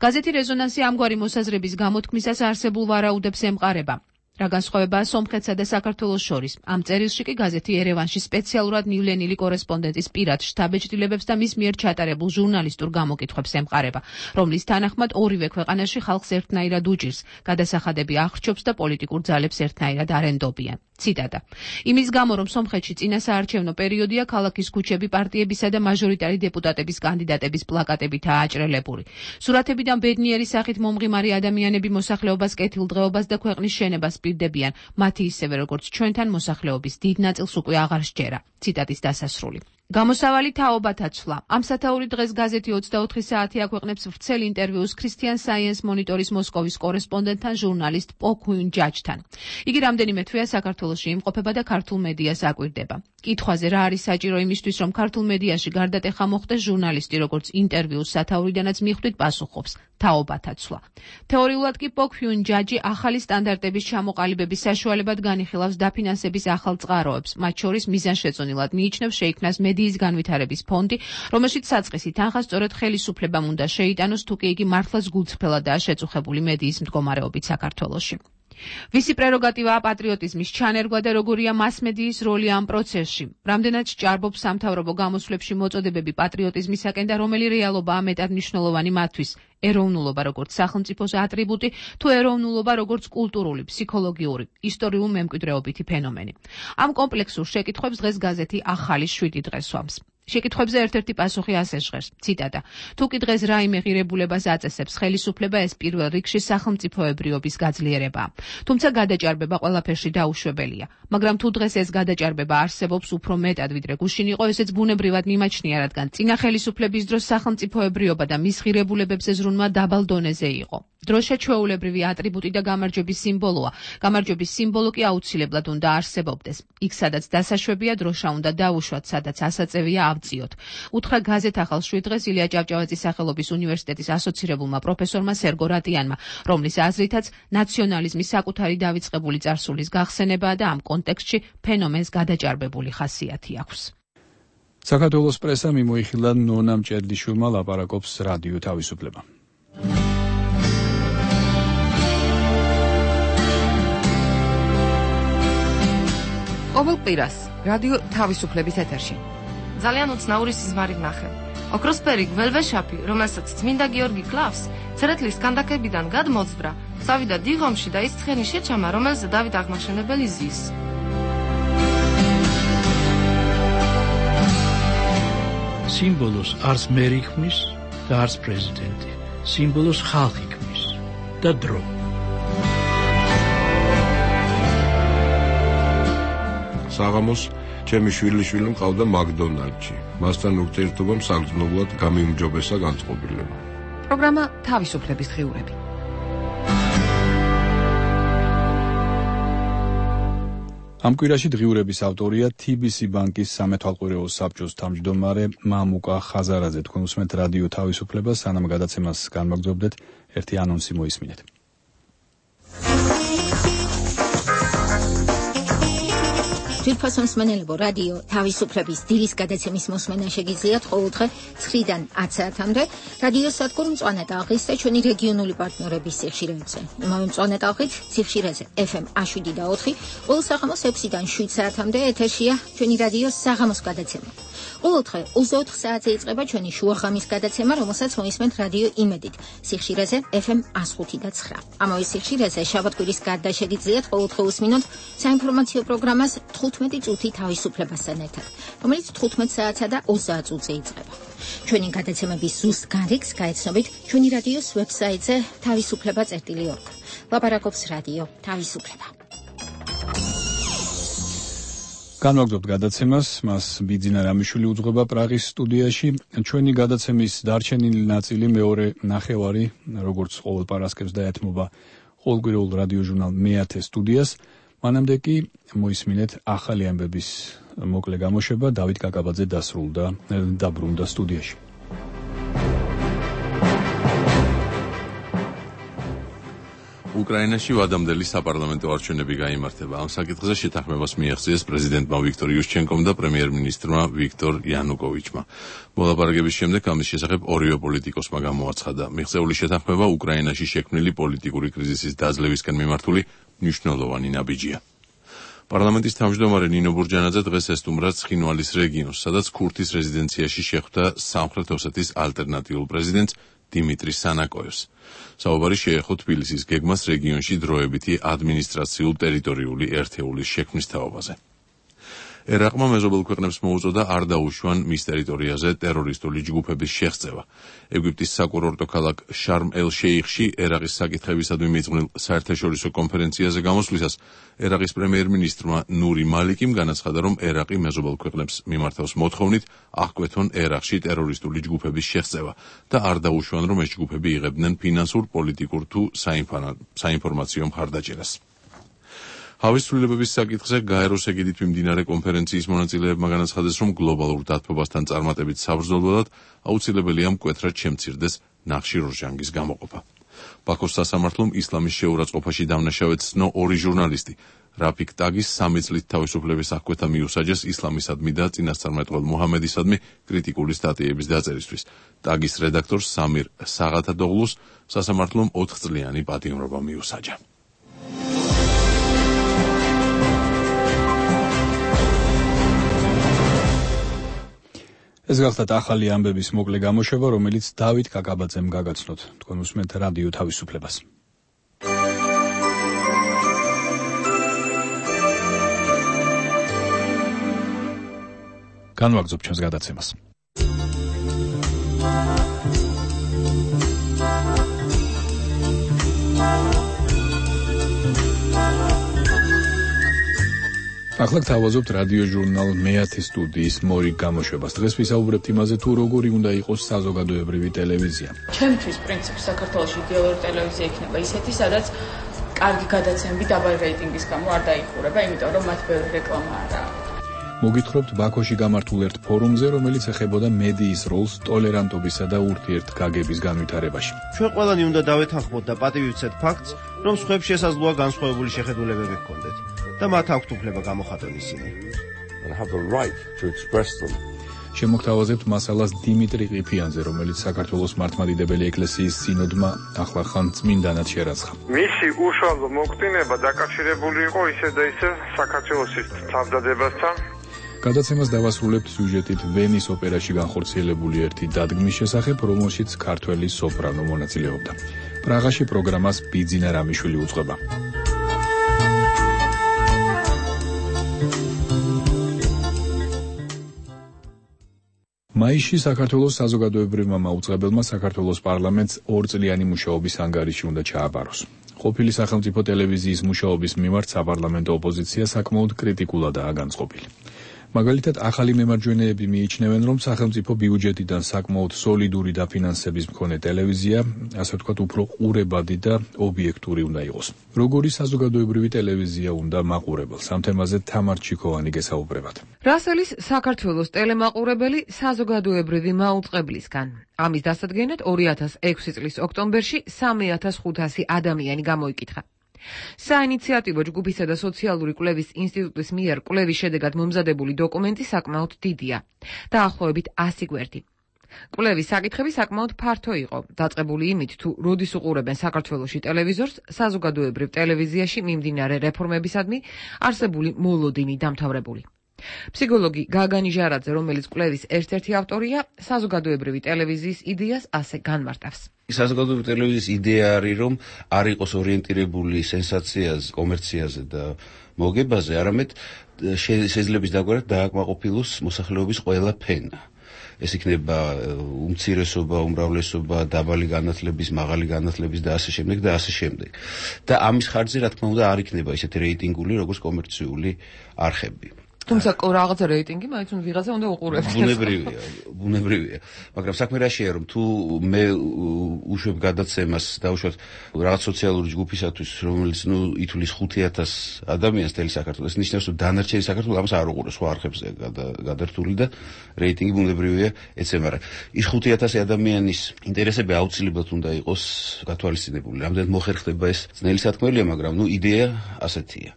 გაზეთი რეზონანსი ამგვარი მოსაზრების გამოთქმისას არსებულ ვარაუდებს ემყარება. რა განსხვავებაა სომხეთსა და საქართველოს შორის. ამ წერილში კი გაზეთი ერევანში სპეციალურად ნივლენილი კორესპონდენტის პირად შთაბეჭდილებებს და მის მიერ ჩატარებულ ჟურნალისტურ გამოკითხვებს ემყარება, რომლის თანახმად ორივე ქვეყანაში ხალხს ერთნაირად უჭირს, გადასახადები ახრჩობს და პოლიტიკურ ძალებს ერთნაირად არ ენდობიან. ციტატა. იმის გამო, რომ სომხეთში წინასაარჩევნო პერიოდია, ქალაქის ქუჩები პარტიებისა და მაჟორიტარი დეპუტატების კანდიდატების პლაკატებითაა აჭრელებული. სურათებიდან ბედნიერი სახით მომღიმარი ადამიანები მოსახლეობას კეთილდღეობას და ქვეყნის შენებას პირდებიან, მათი ისევე როგორც ჩვენთან მოსახლეობის დიდ ნაწილს უკვე აღარ სჯერა. ციტატის დასასრული. გამოსავალი თაობათა ცვლა. ამ სათაური დღეს გაზეთი 24 საათი აქვეყნებს ვრცელ ინტერვიუს ქრისტიან საიენს მონიტორის მოსკოვის კორესპონდენტთან ჟურნალისტ პოქუინ ჯაჯთან. იგი რამდენიმე თვეა საქართველოში იმყოფება და ქართულ მედიას აკვირდება. კითხვაზე რა არის საჭირო იმისთვის, რომ ქართულ მედიაში გარდატეხა მოხდეს, ჟურნალისტი როგორც ინტერვიუს სათაურიდანაც მიხვდით პასუხობს. თაობათა ცვლა. თეორიულად კი პოქუინ ჯაჯი ახალი სტანდარტების ჩამოყალიბების საშუალებად განიხილავს დაფინანსების ახალ წყაროებს, მათ შორის მიზანშეწონილად მიიჩნევს შეიქმნას მედიის განვითარების ფონდი, რომელშიც საწყისი თანხა სწორედ ხელისუფლებამ უნდა შეიტანოს, თუ კი იგი მართლაც გულწრფელადაა შეწუხებული მედიის მდგომარეობით საქართველოში. ვისი პრეროგატივაა პატრიოტიზმის ჩანერგვა და როგორია მასმედიის როლი ამ პროცესში? რამდენად სჭარბობს სამთავრობო გამოსვლებში მოწოდებები პატრიოტიზმისაკენ და რომელი რეალობაა მეტად მნიშვნელოვანი მათთვის? ეროვნულობა როგორც სახელმწიფოს ატრიბუტი თუ ეროვნულობა როგორც კულტურული, ფსიქოლოგიური, ისტორიულ მემკვიდრეობითი ფენომენი? ამ კომპლექსურ შეკითხვებს დღეს გაზეთი ახალი 7 დღე სვამს. შეკითხვებზე ერთ-ერთი პასუხი ასე ჟღერს. ციტატა. თუ კი დღეს რაიმე ღირებულებას აწესებს ხელისუფლება, ეს პირველ რიგში სახელმწიფოებრიობის გაძლიერებაა. თუმცა გადაჭარბება ყველაფერში დაუშვებელია. მაგრამ თუ დღეს ეს გადაჭარბება არსებობს უფრო მეტად ვიდრე გუშინ იყო, ესეც ბუნებრივად მიმაჩნია, რადგან წინა ხელისუფლების დროს სახელმწიფოებრიობა და მის ღირებულებებზე ზრუნვა დაბალ დონეზე იყო. დროშა ჩვეულებრივი ატრიბუტი და გამარჯვების სიმბოლოა. გამარჯვების სიმბოლო კი აუცილებლად უნდა არსებობდეს. იქ სადაც დასაშვებია, დროშა უნდა დაუშვათ, სადაც ასაწევია ავწიოთ. უთხრა გაზეთ ახალ 7 დღეს ილია ჭავჭავაძის სახელობის უნივერსიტეტის ასოცირებულმა პროფესორმა სერგო რატიანმა, რომლის აზრითაც ნაციონალიზმის საკუთარი დავიწყებული წარსულის გახსენებაა და ამ კონტექსტში ფენომენს გადაჭარბებული ხასიათი აქვს. საქართველოს პრესა მიმოიხილა ნონა მჭედლიშვილმა ლაპარაკობს რადიო თავისუფლება. ყოველ კვირას რადიო თავისუფლების ეთერში ძალიან უცნაური სიზმარი ვნახე. ოქროსფერი გველვეშაპი, რომელსაც წმინდა გიორგი კლავს, ცერეთლის კანდაკებიდან გადმოძვრა, წავიდა დიღომში და ის ცხენი შეჩამა, რომელზე დავით აღმაშენებელი ზის. სიმბოლოს არც მერი ქმნის და არც პრეზიდენტი. სიმბოლოს ხალხი ქმნის და დრო. საღამოს ჩემი შვილიშვილი მყავდა მაკდონალდში. მასთან ურთიერთობამ საგრძნობლად გამიმჯობესა განწყობილება. პროგრამა თავისუფლების დღიურები. ამ კვირაში დღიურების ავტორია TBC ბანკის სამეთვალყურეო საბჭოს თავმჯდომარე მამუკა ხაზარაძე. თქვენ უსმენთ რადიო თავისუფლებას, სანამ გადაცემას განმაგრძობდეთ, ერთი ანონსი მოისმინეთ. ძვირფასო მსმენელებო, რადიო თავისუფლების დილის გადაცემის მოსმენა შეგიძლიათ ყოველდღე 9-დან 10 საათამდე რადიო სადგურ მწვანე ტალღის და ჩვენი რეგიონული პარტნიორების სიხშირეებზე. იმავე მწვანე ტალღით სიხშირეზე FM 107.4, ყოველ საღამოს 6-დან 7 საათამდე ეთერშია ჩვენი რადიოს საღამოს გადაცემა. ყოველდღე 24 საათზე იწყება ჩვენი შუაღამის გადაცემა, რომელსაც მოისმენთ რადიო იმედით სიხშირეზე FM 105.9. ამავე სიხშირეზე შაბათ-კვირის გარდა შეგიძლიათ ყოველდღე უსმინოთ საინფორმაციო პროგრამას 15 წუთი თავისუფლებასთან ერთად, რომელიც 15 საათსა და 20 წუთზე იწყება. ჩვენი გადაცემების ზუსტ გარიგს გაეცნობით ჩვენი რადიოს ვებსაიტზე თავისუფლება.org. ლაპარაკობს რადიო თავისუფლება. განვაგრძობთ გადაცემას, მას ბიძინა რამიშვილი უძღვება პრაღის სტუდიაში. ჩვენი გადაცემის დარჩენილი ნაწილი მეორე ნახევარი, როგორც ყოველ პარასკევს დაეთმობა ყოველკვირეულ რადიო ჟურნალ მე-10 სტუდიას. მანამდე კი მოისმინეთ ახალი ამბების მოკლე გამოშვება. დავით კაკაბაძე დაბრუნდა სტუდიაში. უკრაინაში ვადამდელი საპარლამენტო არჩევნები გაიმართება. ამ საკითხზე შეთანხმებას მიაღწიეს პრეზიდენტმა ვიქტორ იუშჩენკომ და პრემიერ-მინისტრმა ვიქტორ იანუკოვიჩმა. მოლაპარაკების შემდეგ ამის შესახებ ორივე პოლიტიკოსმა გამოაცხადა. მიღწეული შეთანხმება უკრაინაში შექმნილი პოლიტიკური კრიზისის დაძლევისკენ მიმართული მნიშვნელოვანი ნაბიჯია. პარლამენტის თავმჯდომარე ნინო ბურჯანაძე დღეს ესტუმრა ცხინვალის რეგიონს, სადაც ქურთის რეზიდენციაში შეხვდა სამხრეთ ოსეთის ალტერნატიულ პრეზიდენტს დიმიტრი სანაკოევს. საუბარი შეეხო თბილისის გეგმას რეგიონში დროებითი ადმინისტრაციულ-ტერიტორიული ერთეულის შექმნის თაობაზე. ერაყმა მეზობელ ქვეყნებს მოუწოდა არ დაუშვან მის ტერიტორიაზე ტერორისტული ჯგუფების შეღწევა. ეგვიპტის საკურორტო ქალაქ შარმ-ელ-შეიხში ერაყის საკითხებისადმი მიძღვნილ საერთაშორისო კონფერენციაზე გამოსვლისას ერაყის პრემიერ-მინისტრმა ნური მალიკიმ განაცხადა, რომ ერაყი მეზობელ ქვეყნებს მიმართავს მოთხოვნით აღკვეთონ ერაყში ტერორისტული ჯგუფების შეღწევა და არ დაუშვან, რომ ეს ჯგუფები იღებდნენ ფინანსურ, პოლიტიკურ თუ საინფორმაციო მხარდაჭერას. ჰავის ცვლილებების საკითხზე გაეროს ეგიდით მიმდინარე კონფერენციის მონაწილეებმა განაცხადეს, რომ გლობალურ დათბობასთან წარმატებით საბრძოლველად აუცილებელია მკვეთრად შემცირდეს ნახშირორჟანგის გამოყოფა. ბაქოს სასამართლომ ისლამის შეურაცხყოფაში დამნაშავედ ცნო 2 ჟურნალისტი რაფიკ ტაგის 3 წლით თავისუფლების აღკვეთა მიუსაჯეს ისლამისადმი და წინასწარმეტყველ მუჰამედისადმი კრიტიკული სტატიების დაწერისთვის. ტაგის რედაქტორს სამირ საღათადოღლუს სასამართლომ 4 წლიანი პატიმრობა მიუსაჯა. ეს გახლდათ ახალი ამბების მოკლე გამოშვება, რომელიც დავით კაკაბაძემ გაგაცნოთ. თქვენ უსმენთ რადიო თავისუფლებას. განვაგრძობ ჩვენს გადაცემას. ახლა გთავაზობთ რადიო ჟურნალ მეათე სტუდიის მორიგ გამოშვებას. დღეს ვისაუბრებთ იმაზე, თუ როგორი უნდა იყოს საზოგადოებრივი ტელევიზია. ჩემთვის პრინციპი საქართველოში იდეალური ტელევიზია იქნება ისეთი, სადაც კარგი გადაცემები დაბალი რეიტინგის გამო არ დაიხურება, იმიტომ რომ მათ ბევრი რეკლამა არა აქვს. მოგითხრობთ ბაქოში გამართულ ერთ ფორუმზე, რომელიც ეხებოდა მედიის როლს ტოლერანტობისა და ურთიერთგაგების განვითარებაში. ჩვენ ყველანი უნდა დავეთანხმოთ და პატივივცეთ ფაქტს, რომ სხვებს შესაძლოა განსხვავებული შეხედულებები ჰქონდეთ და მათ აქვთ უფლება გამოხატონ ისინი. შემოგთავაზებთ მასალას დიმიტრი ყიფიანზე, რომელიც საქართველოს მართლმადიდებელი ეკლესიის სინოდმა ახლახან წმინდანად შერაცხა. მისი უშუალო მოქდინება დაკავშირებული იყო ისე და ისე საქართველოს თავდადებასთან. გადაცემას დავასრულებთ სიუჟეტით ვენის ოპერაში განხორციელებული ერთი დადგმის შესახებ, რომელშიც ქართველი სოპრანო მონაწილეობდა. პრაღაში პროგრამას ბიძინა რამიშვილი უძღვება. მაისში საქართველოს საზოგადოებრივმა მაუწყებელმა საქართველოს პარლამენტს 2 წლიანი მუშაობის ანგარიში უნდა ჩააბაროს. ყოფილი სახელმწიფო ტელევიზიის მუშაობის მიმართ საპარლამენტო ოპოზიცია საკმაოდ კრიტიკულადაა განწყობილი. მაგალითად, ახალი მემარჯვენეები მიიჩნევენ, რომ სახელმწიფო ბიუჯეტიდან საკმაოდ სოლიდური დაფინანსების მქონე ტელევიზია, ასე ვთქვათ, უფრო ყურებადი და ობიექტური უნდა იყოს. როგორი საზოგადოებრივი ტელევიზია უნდა მაყურებელს? ამ თემაზე თამარ ჩიქოვანი გესაუბრებათ. რასელის საქართველოს ტელემაყურებელი საზოგადოებრივი მაუწყებლისგან. ამის დასადგენად 2006 წლის ოქტომბერში 3500 ადამიანი გამოიკითხა. საინიციატივო ჯგუფისა და სოციალური კვლევის ინსტიტუტის მიერ კვლევის შედეგად მომზადებული დოკუმენტი საკმაოდ დიდია, დაახლოებით 100 გვერდი. კვლევის საკითხები საკმაოდ ფართო იყო, დაწყებული იმით, თუ როდის უყურებენ საქართველოში ტელევიზორს, საზოგადოებრივ ტელევიზიაში მიმდინარე რეფორმებისადმი არსებული მოლოდინი დამთავრებული. ფსიქოლოგი გაგანი ჟარაძე, რომელიც კვლევის ერთ-ერთი ავტორია, საზოგადოებრივი ტელევიზიის იდეას ასე განმარტავს. საზოგადოებრივი ტელევიზიის იდეა არის, რომ არ იყოს ორიენტირებული სენსაციაზე, კომერციაზე და მოგებაზე, არამედ შეძლების დაგვარად დააკმაყოფილოს მოსახლეობის ყველა ფენა. ეს იქნება უმცირესობა, უმრავლესობა, დაბალი განათლების, მაღალი განათლების და ასე შემდეგ და ასე შემდეგ. და ამის ხარჯზე, რა თქმა უნდა, არ იქნება ისეთი რეიტინგული, როგორც კომერციული არხები. თუმცა რაღაცა რეიტინგი მაინც ვიღაცა უნდა უყურებდეს. ბუნებრივია. მაგრამ საქმე რაშია, რომ თუ მე უშვებ გადაცემას დაუშვათ რაღაც სოციალური ჯგუფისათვის, რომელიც ითვლის 5000 ადამიანს თელი საქართველოს, ნიშნავს, რომ დანარჩენი საქართველოს ამას არ უყურებს სხვა არხებზე გადართული და რეიტინგი ბუნებრივია ეცემარა. ის 5000 ადამიანის ინტერესები აუცილებლად უნდა იყოს გათვალისწინებული. რამდენად მოხერხდება ეს ძნელი სათქმელია, მაგრამ იდეა ასეთია.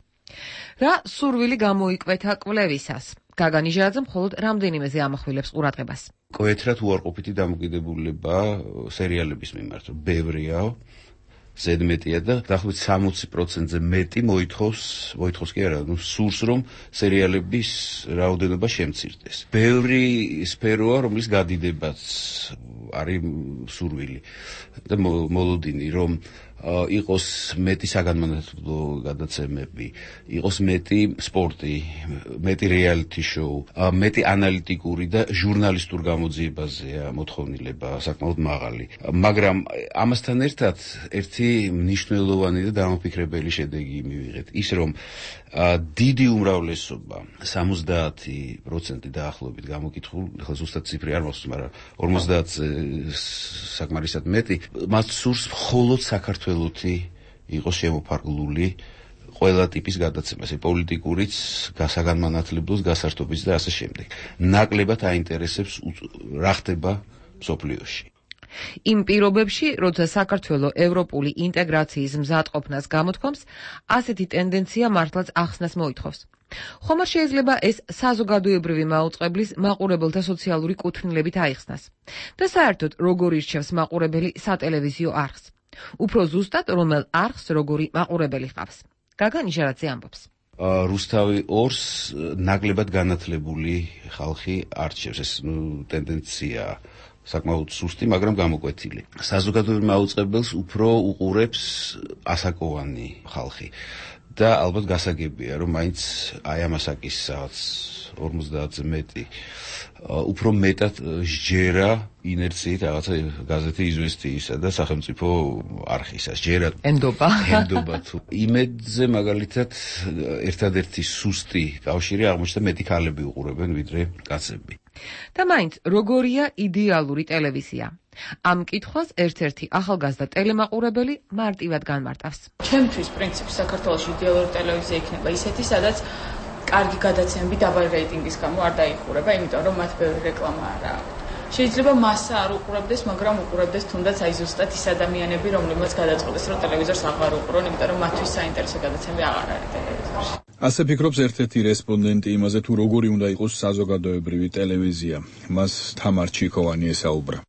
რა სურვილი გამოიკვეთა კვლევისას? გაგანი ჟარაძე მხოლოდ რამდენიმეზე ამახვილებს ყურადღებას. მკვეთრად უარყოფითი დამოკიდებულება სერიალების მიმართ, ბევრია ზედმეტია და დაახლოებით 60%-ზე მეტი მოითხოვს კი არა, სურს რომ სერიალების რაოდენობა შემცირდეს. ბევრი სფეროა, რომლის გადიდებაც არის სურვილი და მოლოდინი, რომ იყოს მეტი საგანმანათლებლო გადაცემები, იყოს მეტი სპორტი, მეტი რეალიტი შოუ, მეტი ანალიტიკური და ჟურნალისტურ გამოძიებაზეა მოთხოვნილება საკმაოდ მაღალი. მაგრამ ამასთან ერთად ერთი მნიშვნელოვანი და დამაფიქრებელი შედეგი მივიღეთ, ის რომ დიდი უმრავლესობა 70% დაახლოებით გამოკითხულ, ახლა ზუსტად ციფრი არ მახსოვს, მაგრამ 50 საკმარისად მეტი მას სურს მხოლოდ საქართველოთი იყოს შემოფარგლული ყველა ტიპის გადაცემას, პოლიტიკურიც, გასაგანმანათლებლოს, გასართობიც და ასე შემდეგ. ნაკლებად აინტერესებს რა ხდება მსოფლიოში. იმ პირობებში, როცა საქართველო ევროპული ინტეგრაციის მზადყოფნას გამოთქვამს, ასეთი ტენდენცია მართლაც ახსნას მოითხოვს. ხომ არ შეიძლება ეს საზოგადოებრივი მაუწყებლის მაყურებელთა სოციალური კუთვნილებით აიხსნას და საერთოდ როგორ ირჩევს მაყურებელი სატელევიზიო არხს. უფრო ზუსტად რომელ არხს როგორი მაყურებელი ყავს. გაგა ნიშარაძე ამბობს. რუსთავი 2-ს ნაკლებად განათლებული ხალხი არჩევს, ეს ტენდენციაა. საკმაოდ სუსტი, მაგრამ გამოკვეთილი. საზოგადოებრივ მაუწყებელს უფრო უყურებს ასაკოვანი ხალხი და ალბათ გასაგებია, რომ მაინც აი ამასაკის რაღაც 50-ზე მეტი უფრო მეტად სჯერა ინერციით რაღაცა გაზეთი იზვესტიისა და სახელმწიფო არხისა სჯერა ენდობა თუ იმედზე მაგალითად ერთადერთი სუსტი კავშირი აღმოჩნდა მეტი ქალები უყურებენ ვიდრე კაცები. და მაინც როგორია იდეალური ტელევიზია? ამ კითხვას ერთ-ერთი ახალგაზრდა ტელემაყურებელი მარტივად განმარტავს. ჩემთვის პრინციპი საქართველოში იდეალური ტელევიზია იქნება ისეთი, სადაც კარგი გადაცემები დაბალი რეიტინგის გამო არ დაიხურება, იმიტომ რომ მათ ბევრი რეკლამა არ აქვს. შეიძლება მასა არ უყურებდეს, მაგრამ უყურებდეს თუნდაც აი ზუსტად ის ადამიანები, რომლებმაც გადაწყვეტეს, რომ ტელევიზორს აღარ უყურონ, იმიტომ რომ მათთვის საინტერესო გადაცემები აღარ არის ტელევიზორში. ასე ფიქრობს ერთ-ერთი რესპონდენტი იმაზე, თუ როგორი უნდა იყოს საზოგადოებრივი ტელევიზია. მას თამარ ჩიქოვანი ესაუბრა.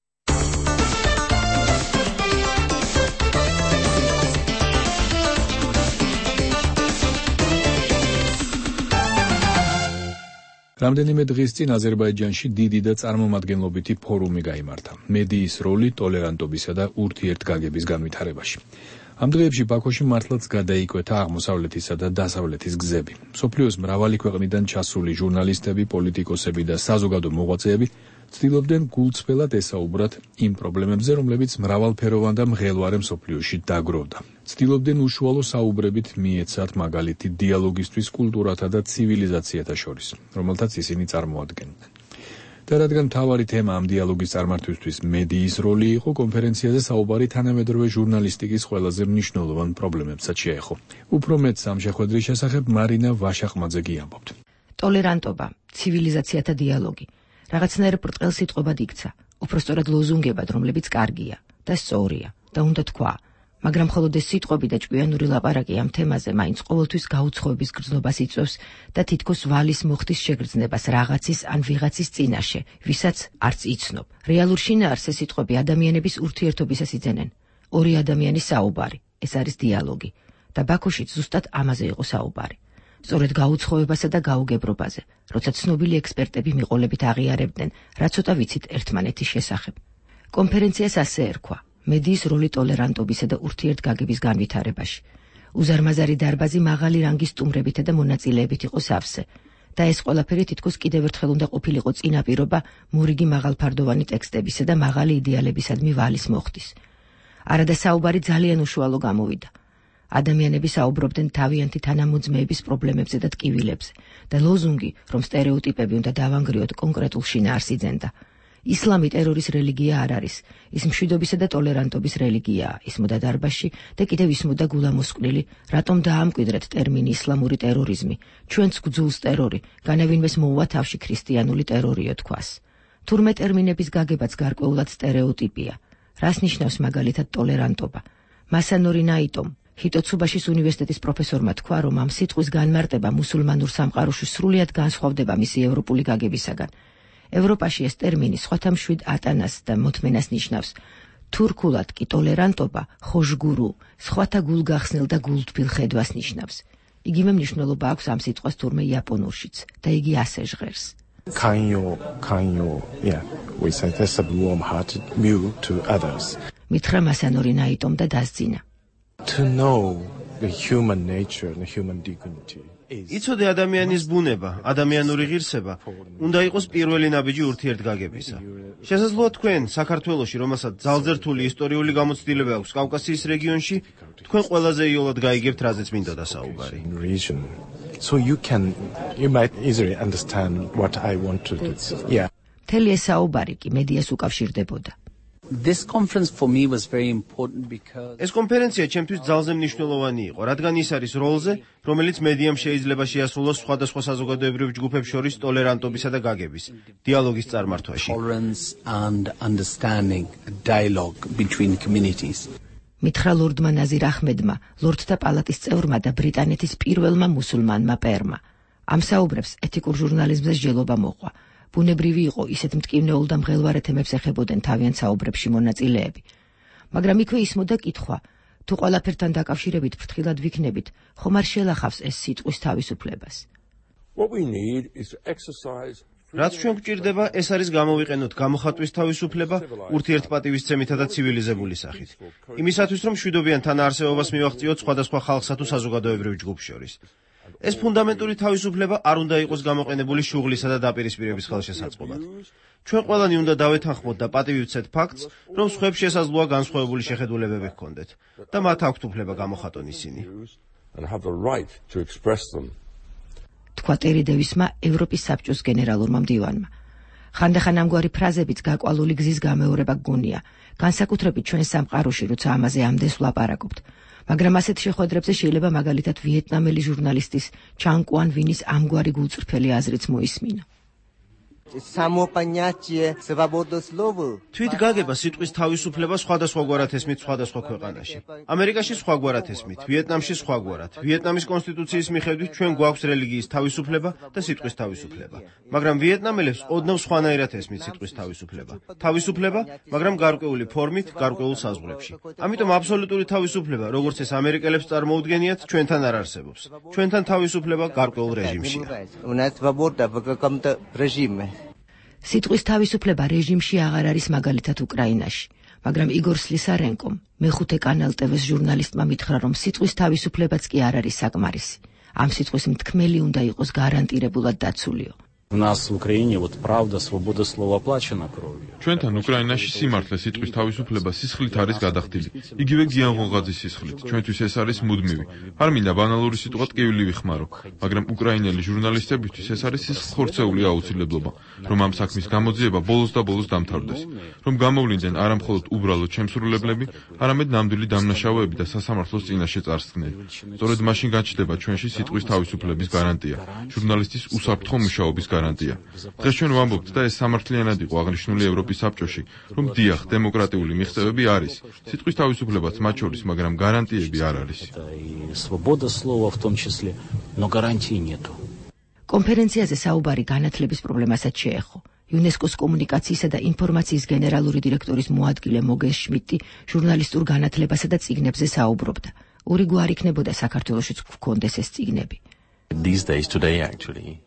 რამდენიმე დღის წინ აზერბაიჯანში დიდი და წარმომადგენლობითი ფორუმი გაიმართა. მედიის როლი ტოლერანტობისა და ურთიერთგაგების განვითარებაში. ამ დღეებში ბაქოში მართლაც გადაიკვეთა აღმოსავლეთისა და დასავლეთის გზები. მსოფლიოს მრავალი ქვეყნიდან ჩასული ჟურნალისტები, პოლიტიკოსები და საზოგადო მოღვაწეები ცდილობდნენ გულწრფელად ესაუბრათ იმ პრობლემებზე, რომლებიც მრავალფეროვან და მღელვარე მსოფლიოში დაგროვდა. ცდილობდნენ უშუალო საუბრებით მიეცათ მაგალითი დიალოგისთვის კულტურათა და ცივილიზაციათა შორის, რომელთაც ისინი წარმოადგენდნენ. და რადგან მთავარი თემა ამ დიალოგის წარმართვისთვის მედიის როლი იყო, კონფერენციაზე საუბარი თანამედროვე ჟურნალისტიკის ყველაზე მნიშვნელოვან პრობლემებსაც შეეხო. უფრო მეტს ამ შეხვედრის შესახებ მარინა ვაშაყმაძე ამბობთ. ტოლერანტობა, ცივილიზაციათა დიალოგი რაღაცნაირ ბრტყელ სიტყვებად იქცა, უпростоრად ლოზუნგებად, რომლებიც კარგია და სწორია და უნდა თქვა, მაგრამ მხოლოდ ეს სიტყვები და ჭკვიანური ლაპარაკი ამ თემაზე მაინც ყოველთვის გაუცხოების გრძნობას იწვევს და თითქოს ვალის მოხდის შეგრძნებას რაღაცის ან ვიღაცის წინაშე, ვისაც არც იცნობ. რეალურ შინაარსს ეს სიტყვები ადამიანების ურთიერთობისას იძენენ. ორი ადამიანის საუბარი, ეს არის დიალოგი და ბაქოშიც ზუსტად ამაზე იყო საუბარი. სწორედ გაუცხოებასა და გაუგებრობაზე, როცა ცნობილი ექსპერტები მიყოლებით აღიარებდნენ, რა ცოტა ვიცით ერთმანეთის შესახებ. კონფერენციას ასე ერქვა: მედიის როლი ტოლერანტობისა და ურთიერთგაგების განვითარებაში. უზარმაზარი დარბაზი მაღალი რანგის სტუმრებითა და მონაწილეებით იყო სავსე და ეს ყველაფერი თითქოს კიდევ ერთხელ უნდა ყოფილიყო წინაპირობა მორიგი მაღალფარდოვანი ტექსტებისა და მაღალი იდეალებისადმი ვალის მოხდის. არადა საუბარი ძალიან უშუალო გამოვიდა. ადამიანები საუბრობდნენ თავიანთი თანამოძმეების პრობლემებზე და ტკივილებზე და ლოზუნგი, რომ სტერეოტიპები უნდა დავანგრიოთ, კონკრეტულ შინაარსს იძენდა. ისლამი ტერორის რელიგია არ არის, ის მშვიდობისა და ტოლერანტობის რელიგიაა. ისმოდა დარბაზში და კიდევ ისმოდა გულამოსყვლელი, რატომ დაამკვიდრეთ ტერმინი ისლამური ტერორიზმი, ჩვენც გძულს ტერორი, განევინმეს მოუვა თავში ქრისტიანული ტერორიო თქვას. თურმე ტერმინების გაგებაც გარკვეულად სტერეოტიპია. რას ნიშნავს მაგალითად ტოლერანტობა? მასანორი ნაიტომ ჰიტოცუბაშის უნივერსიტეტის პროფესორმა თქვა, რომ ამ სიტყვის განმარტება მუსულმანურ სამყაროში სრულიად განსხვავდება მისი ევროპული გაგებისაგან. ევროპაში ეს ტერმინი სხვათა მშვიდ ატანას და მოთმენას ნიშნავს. თურქულად კი ტოლერანტობა ხოშგურუ, სხვათა გულგახსნილ და გულთბილ ხედვას ნიშნავს. იგივე მნიშვნელობა აქვს ამ სიტყვას თურმე იაპონურშიც და იგი ასე ჟღერს. We say that's a warm-hearted view to others. მითხრა მასანორი ნაიტომ და დასძინა. To know the human nature and the human dignity. იცოდე ადამიანის ბუნება, ადამიანური ღირსება, უნდა იყოს პირველი ნაბიჯი ურთიერთგაგებისა. შესაძლოა თქვენ საქართველოში, რომელსაც ძალზერთული ისტორიული გამოცდილება აქვს კავკასიის რეგიონში, თქვენ ყველაზე იოლად გაიგებთ, რაზეც მინდოდა საუბარი. So you might easily understand what I want to do. Yeah. მთელი ეს საუბარი კი მედიას უკავშირდებოდა. This conference for me was very important because ეს კონფერენცია ჩემთვის ძალზე მნიშვნელოვანი იყო, რადგან ის არის როლზე, რომელიც მედიამ შეიძლება შეასრულოს სხვადასხვა საზოგადოებრივ ჯგუფებს შორის ტოლერანტობისა და გაგების, დიალოგის წარმართვაში. tolerance and understanding, a dialogue between communities. მითხრა ლორდმა ნაზირ აჰმედმა, ლორდთა პალატის წევრმა და ბრიტანეთის პირველმა მუსულმანმა პერმა. ამ საუბრებს ეთიკურ ჟურნალიზმზე სჯელობა მოყვა. ბუნებრივი იყო ისეთ მტკივნეულ და მღელვარე თემებს ეხებოდნენ თავიანთ საუბრებში მონაწილეები. მაგრამ იქვე ისმოდა კითხვა, თუ ყველაფერთან დაკავშირებით ფრთხილად ვიქნებით, ხომ არ შელახავს ეს სიტყვის თავისუფლებას? რაც ჩვენ გვჭირდება, ეს არის გამოვიყენოთ გამოხატვის თავისუფლება ურთიერთპატივისცემითა და ცივილიზებული სახით. იმისათვის, რომ მშვიდობიან თანაარსებობას მივაღწიოთ სხვადასხვა ხალხსა თუ საზოგადოებრივ ჯგუფს შორის. ეს ფუნდამენტური თავისუფლება არ უნდა იყოს გამოყენებული შუღლისა და დაპირისპირების ხელშესაწყობად. ჩვენ ყველანი უნდა დავეთანხმოთ და პატივი ვცეთ ფაქტს, რომ სხვებს შესაძლოა განსხვავებული შეხედულებები ჰქონდეთ და მათ აქვთ უფლება გამოხატონ ისინი. თქვა ტერი დევისმა ევროპის საბჭოს გენერალურმა მდივანმა. ხანდახან ამგვარი ფრაზებიც გაკვალული გზის გამეორება გგონია, განსაკუთრებით ჩვენ სამყაროში, როცა ამაზე ამდენს ვლაპარაკობთ. მაგრამ ასეთ შეხვედრებზე შეიძლება მაგალითად ვიეტნამელი ჟურნალისტის ჩან კუან ვინის ამგვარი გულწრფელი აზრიც მოისმინო. თვით გაგება სიტყვის თავისუფლება სხვადასხვაგვარად ესმით სხვადასხვა ქვეყანაში. ამერიკაში სხვაგვარად ესმით, ვიეტნამში სხვაგვარად. ვიეტნამის კონსტიტუციის მიხედვით ჩვენ გვაქვს რელიგიის თავისუფლება და სიტყვის თავისუფლება. მაგრამ ვიეტნამელებს ოდნავ სხვანაირად ესმით სიტყვის თავისუფლება. თავისუფლება, მაგრამ გარკვეული ფორმით, გარკვეულ საზღვრებში. ამიტომ აბსოლუტური თავისუფლება, როგორც ეს ამერიკელებს წარმოუდგენიათ, ჩვენთან არ არსებობს. ჩვენთან თავისუფლება გარკვეულ რეჟიმშია. სიტყვის თავისუფლება რეჟიმში აღარ არის მაგალითად უკრაინაში, მაგრამ იგორ სლისარენკომ, მეხუთე კანალ TV-ს ჟურნალისტმა მითხრა, რომ სიტყვის თავისუფლებაც კი არ არის საკმარისი. ამ სიტყვის მთქმელი უნდა იყოს გარანტირებულად დაცულიო. У нас в Украине вот правда, свобода слова оплачена кровью. ჩვენთან უკრაინაში სიმართლე სიტყვის თავისუფლება სისხლით არის გადახდილი. იგივე გიან ღონღაძის სისხლით. ჩვენთვის ეს არის მუდმივი. არ მინდა ბანალური სიტყვა ტკივილი ვიხმარო, მაგრამ უკრაინელი ჟურნალისტებისთვის ეს არის სისხლხორცეული აუცილებლობა, რომ ამ საქმის გამოძიება ბოლოს და ბოლოს დამთავრდეს. რომ გამოვლინდნენ არა მხოლოდ უბრალოდ შემსრულებლები, არამედ ნამდვილი დამნაშავეები და სასამართლოს წინაშე წარსდგნელი. სწორედ მაშინ გაჩნდება ჩვენში სიტყვის თავისუფლების გარანტია, ჟურნალისტის უსაფრთხო მუშაობის გარანტია. დღეს ჩვენ ვამბობთ და ეს სამართლიანად იყო აღნიშნული ევროპის საბჭოში, რომ დიახ, დემოკრატიული მიღწევები არის, სიტყვის თავისუფლებაც მათ შორის, მაგრამ გარანტიები არ არის. Свобода слова в том числе, но гарантий нету. კონფერენციაზე საუბარი განათლების პრობლემასაც შეეხო. იუნესკოს კომუნიკაციისა და ინფორმაციის გენერალური დირექტორის მოადგილე მოგეს შმიდტი ჟურნალისტურ განათლებასა და წიგნებზე საუბრობდა. ორი გვარი იქნებოდა საქართველოშიც გვქონდეს ეს წიგნები. These days today actually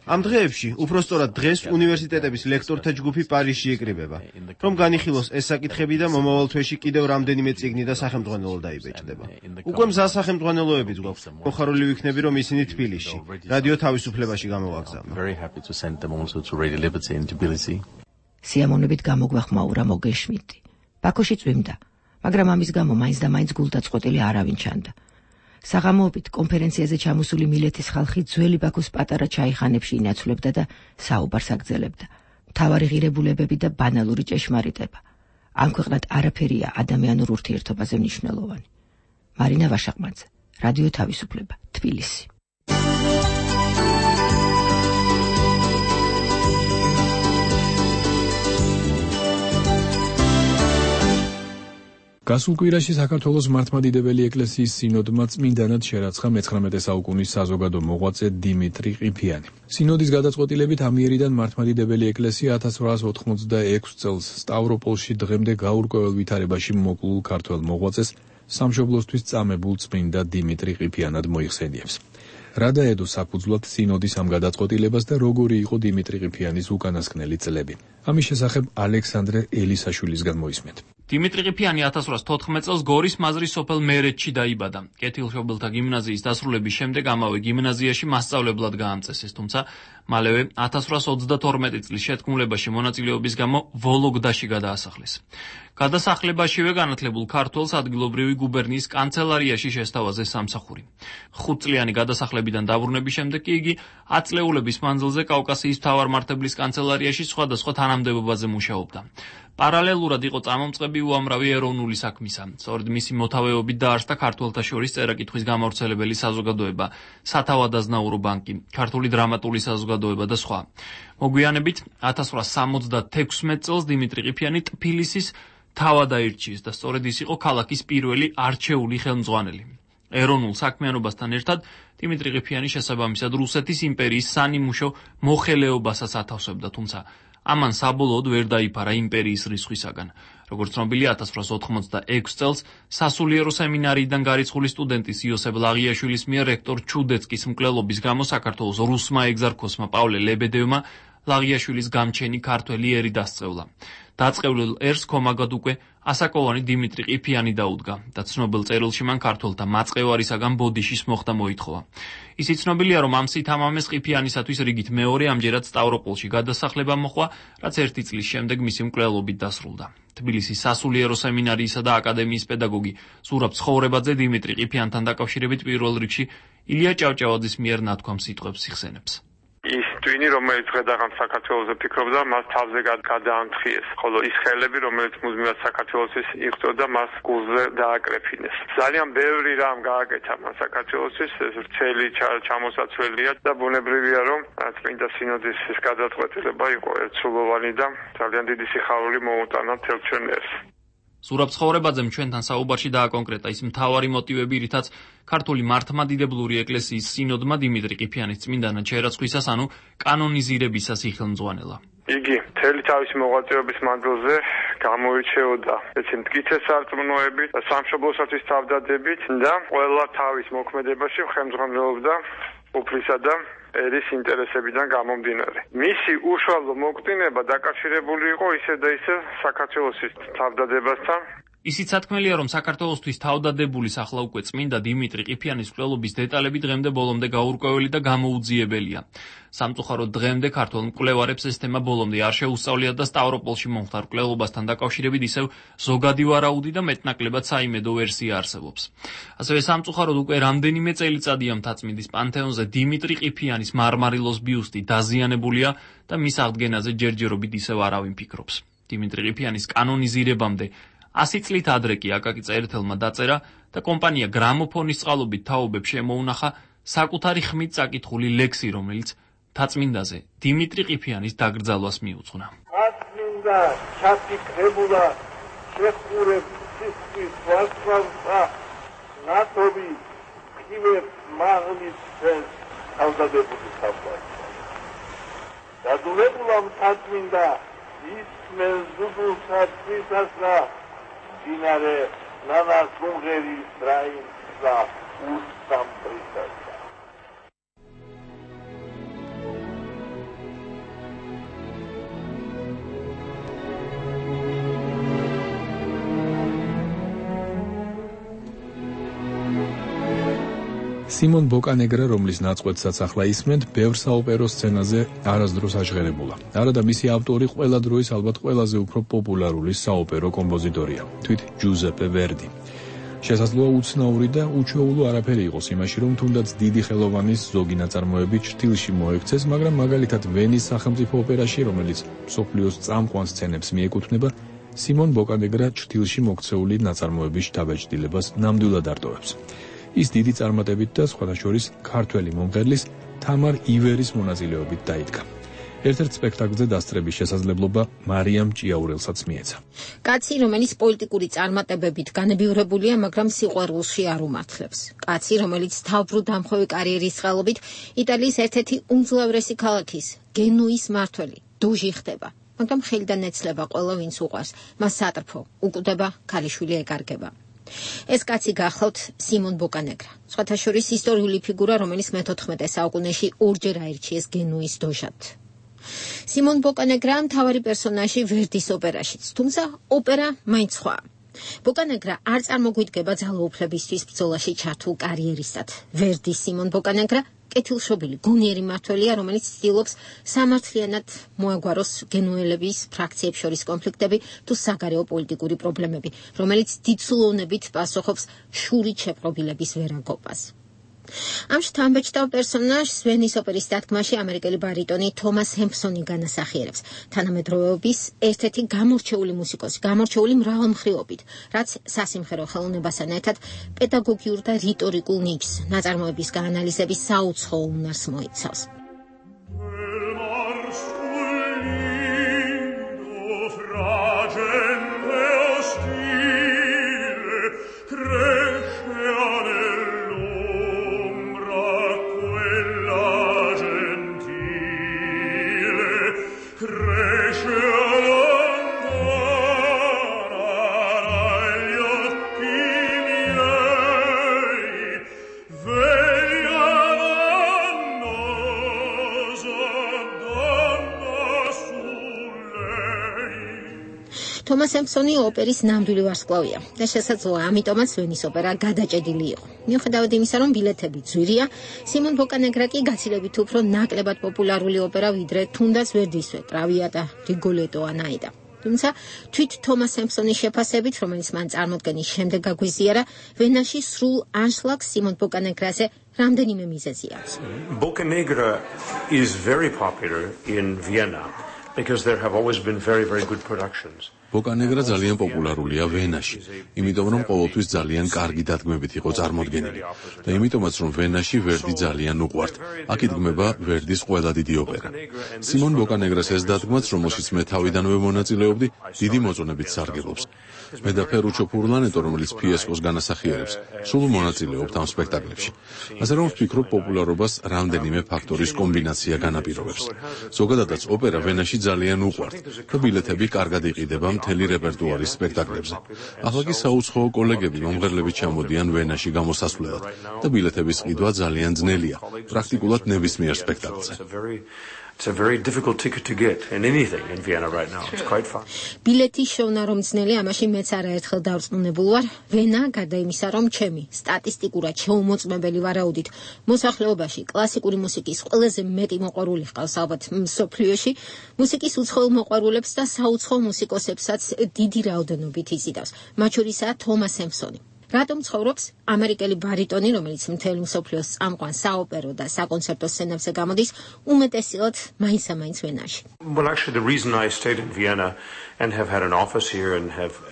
ამ დღეებში, უпростоრად დღეს უნივერსიტეტების ლექტორთა ჯგუფი პარიზში იკრიბება, რომ განიხილოს ეს საკითხები და მომავალ თვეში კიდევ რამდენიმე წიგნი და სახელმძღვანელო დაიბეჭდება. უკვე მზა სახელმძღვანელოებიც გვაქვს. მოხარული ვიქნები, რომ ისინი თბილისში, რადიო თავისუფლებაში გამოვაგზავნო. სიამოვნებით გამოგვეხმაურა მოგეს შმიდტი. ბაქოში წვიმდა, მაგრამ ამის გამო მაინც და მაინც გულდაწყვეტილი არავინ ჩანდა. საღამოობით კონფერენციაზე ჩამოსული მილეთის ხალხი ძველი ბაქოს პატარა ჩაიხანებში ინაცვლებდა და საუბარს აგრძელებდა. მთავარი ღირებულებები და ბანალური ჭეშმარიტება. ამ ქვეყნად არაფერია ადამიანურ ურთიერთობაზე მნიშვნელოვანი. მარინა ვაშაყმაძე, რადიო თავისუფლება, თბილისი. გასულ კვირაში საქართველოს მართლმადიდებელი ეკლესიის სინოდმა წმინდანად შერაცხა მე-19 საუკუნის საზოგადო მოღვაწე დიმიტრი ყიფიანი. სინოდის გადაწყვეტილებით ამიერიდან მართლმადიდებელი ეკლესია 1886 წელს სტავროპოლში დღემდე გაურკვეველ ვითარებაში მოკლულ ქართველ მოღვაწეს სამშობლოსთვის წამებულ წმინდა დიმიტრი ყიფიანად მოიხსენიებს. რა დაედო საფუძვლად სინოდის ამ გადაწყვეტილებას და როგორი იყო დიმიტრი ყიფიანის უკანასკნელი წლები? ამის შესახებ ალექსანდრე ელისაშვილისგან მოისმენთ. დიმიტრი ყიფიანი 1814 წელს გორის მაზრის სოფელ მერეთში დაიბადა. კეთილშობილთა გიმნაზიის დასრულების შემდეგ ამავე გიმნაზიაში მასწავლებლად გაამწესეს, თუმცა მალევე 1832 წლის შეთქმულებაში მონაწილეობის გამო ვოლოგდაში გადაასახლეს. გადასახლებაშივე განათლებულ ქართველს ადგილობრივი გუბერნიის კანცელარიაში შესთავაზე სამსახური. 5 წლიანი გადასახლებიდან დაბრუნების შემდეგ კი იგი 10 წლეულების მანძილზე კავკასიის მთავარმართებლის კანცელარიაში სხვადასხვა თანამდებობაზე მუშაობდა. პარალელურად იყო წამომწყები უამრავი ეროვნული საქმისა. სწორედ მისი მოთავეობით დაარსდა ქართველთა შორის წერა-კითხვის გამავრცელებელი საზოგადოება, სათავადაზნაურო ბანკი, ქართული დრამატული საზოგადოება და სხვა. მოგვიანებით 1876 წელს დიმიტრი ყიფიანი ტფილისის თავად აირჩიეს და სწორედ ის იყო ქალაქის პირველი არჩეული ხელმძღვანელი. ეროვნულ საქმიანობასთან ერთად დიმიტრი ყიფიანი შესაბამისად რუსეთის იმპერიის სანიმუშო მოხელეობასაც ათავსებდა, თუმცა ამან საბოლოოდ ვერ დაიფარა იმპერიის რისხვისაგან. როგორც ცნობილია, 1886 წელს სასულიერო სემინარიიდან გარიცხული სტუდენტის იოსებ ლაღიაშვილის მიერ რექტორ ჩუდეცკის მკვლელობის გამო საქართველოს რუსმა ეგზარქოსმა პავლე ლებედევმა ლაღიაშვილის გამჩენი ქართველი ერი დასწევლა. დაწყევლილ ერს ქომაგად უკვე ასაკოვანი დიმიტრი ყიფიანი დაუდგა და ცნობილ წერილში მან ქართველთა მაწყევარისაგან ბოდიშის მოხდა მოითხოვა. ისიც ცნობილია, რომ ამ სითამამეს ყიფიანისათვის რიგით მეორე ამჯერად სტავროპოლში გადასახლება მოხდა, რაც 1 წლის შემდეგ მისი მკვლელობით დასრულდა. თბილისის სასულიერო სემინარიისა და აკადემიის პედაგოგი ზურაბ ცხოვრებაძე დიმიტრი ყიფიანთან დაკავშირებით პირველ რიგში ილია ჭავჭავაძის მიერ ნათქვამ სიტყვებს იხსენებს. ის ტვინი, რომელიც ღედაღან საქართველოზე ფიქრობდა, მას თავზე გადაამთხიეს, ხოლო ის ხელები, რომელიც მუდმივად საქართველოსთვის იღვწოდა, მას გულზე დააკრეფინეს. ძალიან ბევრი რამ გააკეთა მას საქართველოსთვის, ეს ვრცელი ჩამოსაცველია და ბუნებრივია, რომ წმინდა სინოდის ეს გადაწყვეტილება იყო ერთსულოვანი და ძალიან დიდი სიხარული მოუტანა მთელ ჩვენ ერს. ზურაბ ცხოვრებაძემ ჩვენთან საუბარში დააკონკრეტა ის მთავარი მოტივები, რითაც ქართული მართლმადიდებლური ეკლესიის სინოდმა დიმიტრი ყიფიანის წმინდანად შერაცხვისას, ანუ კანონიზირებისას იხელმძღვანელა. იგი მთელი თავისი მოღვაწეობის მანძილზე გამოირჩეოდა ეცი მტკიცე სარწმუნოებით, სამშობლოსათვის თავდადებით და ყველა თავის მოქმედებაში ხელმძღვანელობდა უფლისა და ერის ინტერესებიდან გამომდინარე. მისი უშუალო მოკვდინება დაკავშირებული იყო ისე და ისე საქართველოს თავდადებასთან. ისიც სათქმელია, რომ საქართველოსთვის თავდადებული ახლა უკვე წმინდა დიმიტრი ყიფიანის მკვლელობის დეტალები დღემდე ბოლომდე გაურკვეველი და გამოუძიებელია. სამწუხაროდ დღემდე ქართველ მკვლევარებს ეს თემა ბოლომდე არ შეუსწავლიათ და სტავროპოლში მომხდარ მკვლელობასთან დაკავშირებით ისევ ზოგადი ვარაუდი და მეტნაკლებად საიმედო ვერსია არსებობს. ასევე სამწუხაროდ უკვე რამდენიმე წელიწადია მთაწმინდის პანთეონზე დიმიტრი ყიფიანის მარმარილოს ბიუსტი დაზიანებულია და მის აღდგენაზე ჯერჯერობით ისევ არავინ ფიქრობს. დიმიტრი ყიფიანის კანონიზირებამდე 100 წლით ადრე კი აკაკი წერეთელმა დაწერა და კომპანია გრამოფონის წყალობით თაობებს შემოუნახა საკუთარი ხმით წაკითხული ლექსი, რომელიც მთაწმინდაზე დიმიტრი ყიფიანის დაკრძალვას მიუძღვნა. მთაწმინდა ჩაფიქრებულა შეხურებს სისხლის ვარსკვლავსა ნათობი ხივებს მაღლის ხელს თავდადებული საფლავსა. დადულებულა მთაწმინდა ისმენ ზუგულსა თვისასა დინარე ნანა გუმღერის რაინსა უსამბრისასა. სიმონ ბოკანეგრა, რომლის ნაწყვეტსაც ახლა ისმენთ, ბევრ საოპერო სცენაზე არასდროს აჟღერებულა. არადა მისი ავტორი ყველა დროის ალბათ ყველაზე უფრო პოპულარული საოპერო კომპოზიტორია, თვით ჯუზეპე ვერდი. შესაძლოა უცნაური და უჩვეულო არაფერი იყოს იმაში, რომ თუნდაც დიდი ხელოვანის ზოგი ნაწარმოები ჩრდილში მოექცეს, მაგრამ მაგალითად ვენის სახელმწიფო ოპერაში, რომელიც მსოფლიოს წამყვან სცენებს მიეკუთვნება, სიმონ ბოკანეგრა ჩრდილში მოქცეული ნაწარმოების შთაბეჭდილებას ნამდვილად არტოვებს. ის დიდი წარმატებით და სხვადასხვა ქართველი მომღერლის თამარ ივერის მონაწილეობით დაიდგა. ერთ-ერთ სპექტაკლზე დასწრების შესაძლებლობა მარიამ ჭიაურელსაც მიეცა. კაცი, რომელიც პოლიტიკური წარმატებებით განებივრებულია, მაგრამ სიყვარულში არ უმართლებს. კაცი, რომელიც თავბრუ დამხვევი კარიერის წყალობით იტალიის ერთ-ერთი უმძლავრესი ქალაქის, გენუის მმართველი, დუჟი ხდება. მაგრამ ხელიდან ეცლება ყველა ვინც უყვარს, მას სატრფო, უკვდება, ქალიშვილი ეკარგება. ეს კაცი გახლავთ სიმონ ბოკანეგრა, სხვათა შორის ისტორიული ფიგურა, რომელიც მე-14 საუკუნეში ორჯერ აირჩიეს გენუის დოჟად. სიმონ ბოკანეგრა მთავარი პერსონაჟი ვერდის ოპერაშიც, თუმცა ოპერა მაინც სხვაა. ბოკანეგრა არ წარმოგვიდგება ძალაუფლებისთვის ბრძოლაში ჩართულ კარიერისტად. ვერდის სიმონ ბოკანეგრა კეთილშობილი, გონიერი მმართველია, რომელიც ცდილობს სამართლიანად მოაგვაროს გენუელების ფრაქციებს შორის კონფლიქტები თუ საგარეო პოლიტიკური პრობლემები, რომელიც დიდსულოვნებით პასუხობს შურით შეპყრობილების ვერაგობას. ამ შთამბეჭდავ პერსონაჟს ვენის ოპერის დადგმაში ამერიკელი ბარიტონი თომას ჰემპსონი განასახიერებს, თანამედროვეობის ერთ-ერთი გამორჩეული მუსიკოსი, გამორჩეული მრავალმხრივობით, რაც სასიმღერო ხელოვნებასთან ერთად პედაგოგიურ და რიტორიკულ ნიჭს, ნაწარმოების გაანალიზების საუცხო უნარს მოიცავს. თომას ჰემპსონი ოპერის ნამდვილი ვარსკვლავია და შესაძლოა ამიტომაც ვენის ოპერა გადაჭედილი იყო. მიუხედავად იმისა, რომ ბილეთები ძვირია, სიმონ ბოკანეგრა კი გაცილებით უფრო ნაკლებად პოპულარული ოპერა, ვიდრე თუნდაც ვერდისვე, ტრავიატა, რიგოლეტო ან აიდა. თუმცა თვით თომას ჰემპსონის შეფასებით, რომელიც მან წარმოდგენის შემდეგ გაგვიზიარა, ვენაში სრულ ანშლაგს სიმონ ბოკანეგრაზე რამდენიმე მიზეზი აქვს. Boccanegra is very popular in Vienna because there have always been very good productions. ბოკანეგრა ძალიან პოპულარულია ვენაში, იმიტომ რომ ყოველთვის ძალიან კარგი დადგმებით იყო წარმოდგენილი და იმიტომაც რომ ვენაში ვერდი ძალიან უყვართ. აქ იდგმება ვერდის ყველა დიდი ოპერა. სიმონ ბოკანეგრას ეს დადგმაც, რომელშიც მე თავიდანვე მონაწილეობდი, დიდი მოწონებით სარგებლობს. მე და ფერუჩო ფურლანეტო, რომელიც ფიესკოს განასახიერებს, სულ მონაწილეობთ ამ სპექტაკლებში. ასე რომ ვფიქრობ, პოპულარობას რამდენიმე ფაქტორის კომბინაცია განაპირობებს. ზოგადადაც ოპერა ვენაში ძალიან უყვართ და ბილეთები კარგად იყიდება მთელი რეპერტუარის სპექტაკლებზე. ახლა კი საუცხოო კოლეგები მომღერლებით ჩამოდიან ვენაში გამოსასვლელად და ბილეთების ყიდვა ძალიან ძნელია, პრაქტიკულად ნებისმიერ სპექტაკლზე. It's a very difficult ticket to get in anything in Vienna right now. It's quite fun. ბილეთის შოვნა რომ ძნელი, ამაში მეც არაერთხელ დავწმუნებულ ვარ. ვენა, გარდა იმისა, რომ ჩემი სტატისტიკურად შეუმოწმებელი ვარაუდით მოსახლეობაში კლასიკური მუსიკის ყველაზე მეტი მოყვარული ჰყავს ალბათ მსოფლიოში, მუსიკის უცხოელ მოყვარულებს და საუცხოო მუსიკოსებსაც დიდი რაოდენობით იზიდავს. მათ შორისაა თომას ჰემპსონი. რატომ ცხოვრობს ამერიკელი ბარიტონი, რომელიც მთელი მსოფლიოს წამყვან საოპერო და საკონცერტო სცენებზე გამოდის, უმეტესად მაინც ვენაში. Well, actually the reason I stayed in Vienna and have had an office here and have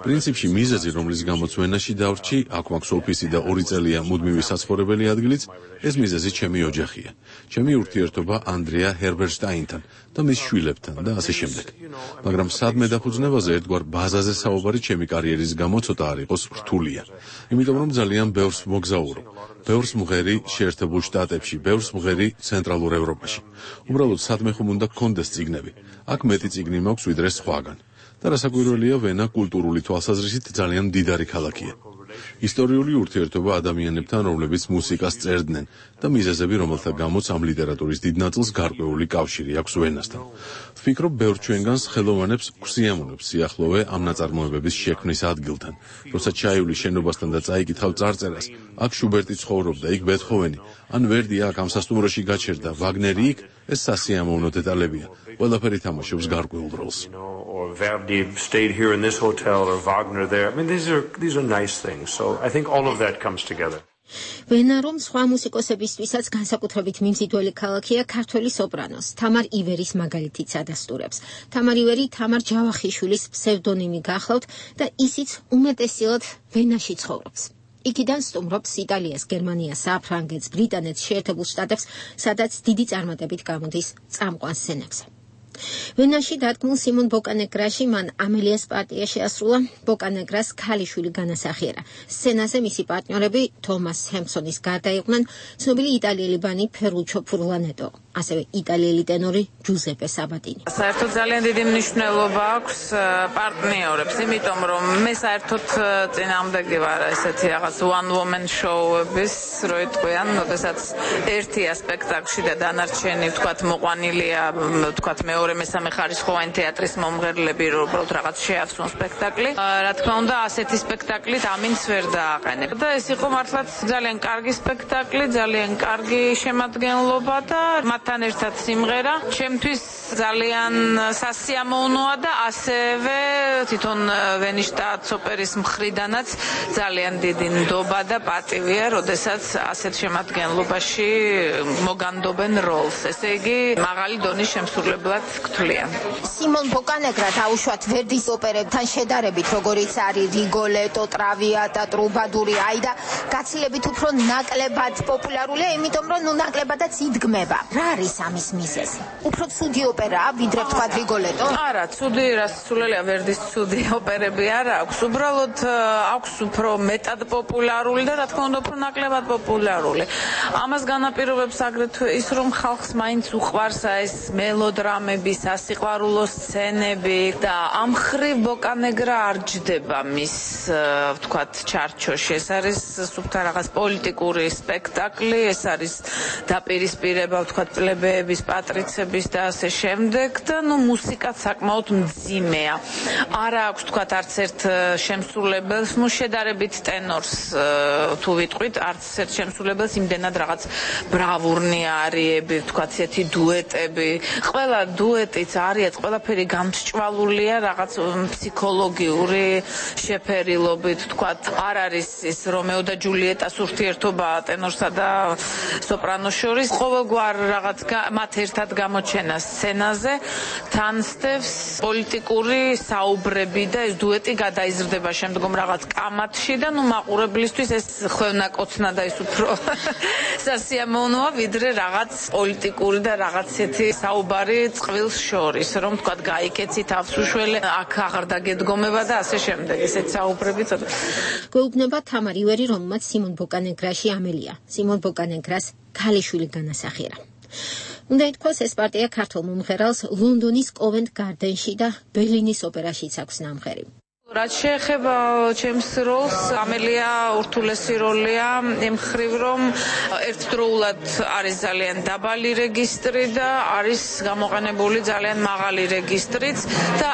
პრინციპში მიზეზი, რომლის გამოც ვენაში დავრჩი, აქ მაქვს ოფისი და 2 წელია მუდმივი საცხოვრებელი ადგილიც, ეს მიზეზი ჩემი ოჯახია. ჩემი ურთიერთობა ანდრეა ჰერბერშტაინთან და მის შვილებთან და ასე შემდეგ. მაგრამ სადმე დაფუძნებაზე ერთგვარ ბაზაზე საუბარი ჩემი კარიერის გამო ცოტა არ იყოს რთულია. იმიტომ რომ ძალიან ბევრს მოგზაურო. ბევრს მღერი შეერთებულ შტატებში, ბევრს მღერი ცენტრალურ ევროპაში. უბრალოდ სადმე ხომ უნდა გქონდეს წიგნები. აქ მეტი წიგნი მაქვს ვიდრე სხვაგან. და რასაკვირველია, ვენა კულტურული თვალსაზრისით ძალიან მდიდარი ქალაქია. ისტორიული ურთიერთობა ადამიანებთან, რომლებიც მუსიკას წერდნენ და მიზეზები, რომელთა გამოც ამ ლიტერატურის დიდ ნაწილს გარკვეული კავშირი აქვს ვენასთან. ვფიქრობ, ბევრ ჩვენგანს ხელოვანებს გვსიამოვნებს სიახლოვე ამ ნაწარმოებების შექმნის ადგილთან. როცა ჩაივლი შენობასთან და წაიკითხავ წარწერას, აქ შუბერტი ცხოვრობდა, იქ ბეთჰოვენი, ან ვერდი აქ ამ სასტუმროში გაჩერდა, ვაგნერი იქ, ეს სასიამოვნო დეტალებია. ყველაფერი თამაშობს გარკვეულ როლს. or Verdi stayed here in this hotel or Wagner there. I mean, these are nice things. So I think all of that comes together. ვენა რომ სხვა მუსიკოსებისთვისაც განსაკუთრებით მიმზიდველი ქალაქია, ქართველი სოპრანოს თამარ ივერის მაგალითიც ადასტურებს. თამარ ივერი თამარ ჯავახიშვილის ფსევდონიმი გახლავთ და ისიც უმეტესად ვენაში ცხოვრობს. იქიდან სტუმრობს იტალიას, გერმანიას, საფრანგეთს, ბრიტანეთს, შეერთებულ შტატებს, სადაც დიდი წარმატებით გამოდის წამყვან სცენებზე. ვენაში დადგმულ სიმონ ბოკანეგრაში მან ამელიას პარტია შეასრულა. ბოკანეგრას ქალიშვილი განასახიერა. სცენაზე მისი პარტნიორები თომას ჰემსონის გარდა იყვნენ ცნობილი იტალიელი ბანი ფერუჩო ფურლანეტო, ასევე იტალიელი ტენორი ჯუზეპე საბატინი. საერთოდ ძალიან დიდი მნიშვნელობა აქვს პარტნიორებს, იმიტომ რომ მე საერთოდ წინააღმდეგი ვარ ესეთი რაღაც one woman show-ების, რო იტყვიან, როდესაც ერთია სპექტაკლში და დანარჩენი ვთქვათ მოყვანილია, ვთქვათ მეორე მესამე ხარისხოვანი თეატრის მომღერლები, რომ უბრალოდ რაღაც შეასრულონ სპექტაკლი. რა თქმა უნდა, ასეთი სპექტაკლით ამინც ვერ დააყენებ. და ეს იყო მართლაც ძალიან კარგი სპექტაკლი, ძალიან კარგი შემადგენლობა და მათთან ერთად სიმღერა. ჩემთვის ძალიან სასიამოვნოა და ასევე თვითონ ვენის შტატ ოპერის მხრიდანაც ძალიან დიდი ნდობა და პატივია, როდესაც ასეთ შემადგენლობაში მოგანდობენ როლს. ესე იგი, მაღალი დონის შემსრულებლად გთვლიან. სიმონ ბოკანეგრა დაუშვათ ვერდის ოპერებთან შედარებით, როგორიც არის რიგოლეტო, ტრավიატა, ტრუბადური, აიდა, გაცილებით უფრო ნაკლებად პოპულარულია, იმიტომ რომ ნაკლებადაც იდგმება. რა არის ამის მიზეზი? უფრო ცუდი ოპერაა, ვიდრე ვთქვათ რიგოლეტო? არა, ცუდი რასასრულელია, ვერდის ცუდი ოპერები არა აქვს. უბრალოდ აქვს უფრო მეტად პოპულარული და რა თქმა უნდა უფრო ნაკლებად პოპულარული. ამას განაპირობებს აგრეთვე ის, რომ ხალხს მაინც უყვარს ეს მელოდრამები, სასიყვარულო სცენები და ამ მხრივ ბოკანეგრა არ ჯდება მის ვთქვათ ჩარჩოში. ეს არის სუფთა რაღაც პოლიტიკური სპექტაკლი, ეს არის დაპირისპირება ვთქვათ პლებეების, პატრიცების და ასე შემდეგ და მუსიკაც საკმაოდ მძიმეა. არა აქვს ვთქვათ არც ერთ შემსრულებელს, შედარებით ტენორს თუ ვიტყვით, არც ერთ შემსრულებელს იმდენად რაღაც ბრავურნი არიები, ვთქვათ ესეთი დუეტები. ყველა დუეტიც არიაც, ყველაფერი გამსჭვალულია რაღაც ფსიქოლოგიური შეფერილობით, ვთქვათ, არ არის ის რომეო და ჯულიეტას ურთიერთობა ტენორსა და სოპრანოს შორის. ყოველგვარ რაღაც მათ ერთად გამოჩენა სცენაზე თანსდევს პოლიტიკური საუბრები და ეს დუეტი გადაიზრდება შემდგომ რაღაც კამათში და მაყურებლისთვის ეს ხვევნაკოცნა და ის უფრო სასიამოვნოა, ვიდრე რაღაც პოლიტიკური და რაღაც ესეთი საუბარი წყვილს შორის, რომ თქვა გაიკეცი თავს უშველე, აქ აღარ დაგედგომება და ასე შემდეგ. ესეთ საუბრები ცოტა. გვეუბნება თამარ ივერი, რომელმაც სიმონ ბოკანეგრაში ამელია, სიმონ ბოკანეგრას ქალიშვილი განასახიერა. უნდა ითქვას, ეს პარტია ქართულ მომღერალს ლონდონის კოვენტ გარდენში და ბერლინის ოპერაშიც აქვს ნამღერი. რაც შეეხება ჩემს როლს, ამელია ურთულესი როლია იმ მხრივ, რომ ერთდროულად არის ძალიან დაბალი რეგისტრი და არის გამოყენებული ძალიან მაღალი რეგისტრიც და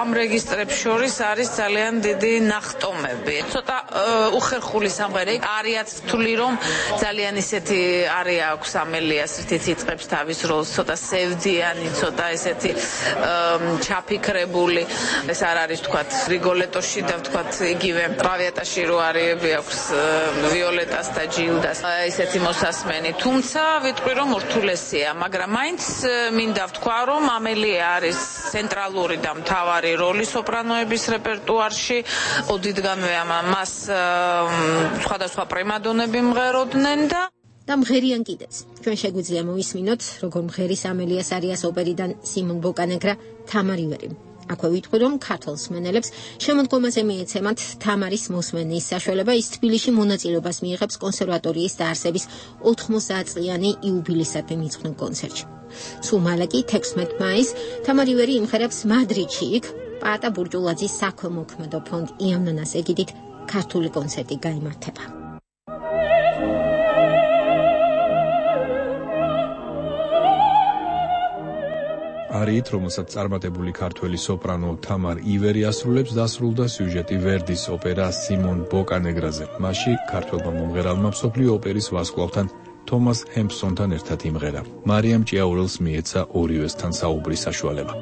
ამ რეგისტრებს შორის არის ძალიან დიდი ნახტომები. ცოტა უხერხული სამღერა. არიაც თვლი, რომ ძალიან ისეთი არია აქვს ამელიას, რითიც იწყებს თავის როლს, ცოტა სევდიანი, ცოტა ესეთი ჩაფიქრებული. ეს არ არის თქვათ რიგოლეტოში და ვთქვათ იგივე ტრավიატაში რო არიები აქვს ვიოლეტას და ჯილდას ესეთი მოსასმენი. თუმცა ვიტყვი რომ ურთულესია, მაგრამ მაინც მინდა ვთქვა რომ ამელია არის ცენტრალური და მთავარი როლი სოპრანოების რეპერტუარში. ოდითგანვე მას სხვადასხვა პრიმადონები მღეროდნენ და მღერიან კიდეც. ჩვენ შეგვიძლია მოვისმინოთ, როგორ მღერის ამელიას არიას ოპერიდან სიმონ ბოკანეგრა თამარ ივერი. აქვე ვიტყვი, რომ ქართულ მსმენელებს შემოდგომაზე მიეცემათ თამარის მოსმენის საშუალება, ის თბილისში მონაწილეობას მიიღებს კონსერვატორიის დაარსების 80 წლიანი იუბილეისადმი მიძღვნილ კონცერტში. სულ მალე კი 16 მაისს თამარ ივერი იმღერებს მადრიდში, იქ პაატა ბურჯულაძის საქველმოქმედო ფონდ იამნანას ეგიდით ქართული კონცერტი გაიმართება. არით, რომელსაც წარმატებული ქართველი სოპრანო თამარ ივერი ასრულებს, დასრულდა სიუჟეტი ვერდის ოპერა სიმონ ბოკანეგრაზე. მასში ქართველმა მომღერალმა მსოფლიო ოპერის ვარსკვლავთან თომას ჰემსონთან ერთად იმღერა. მარიამ ჭიაურელს მიეცა ორივესთან საუბრის საშუალება.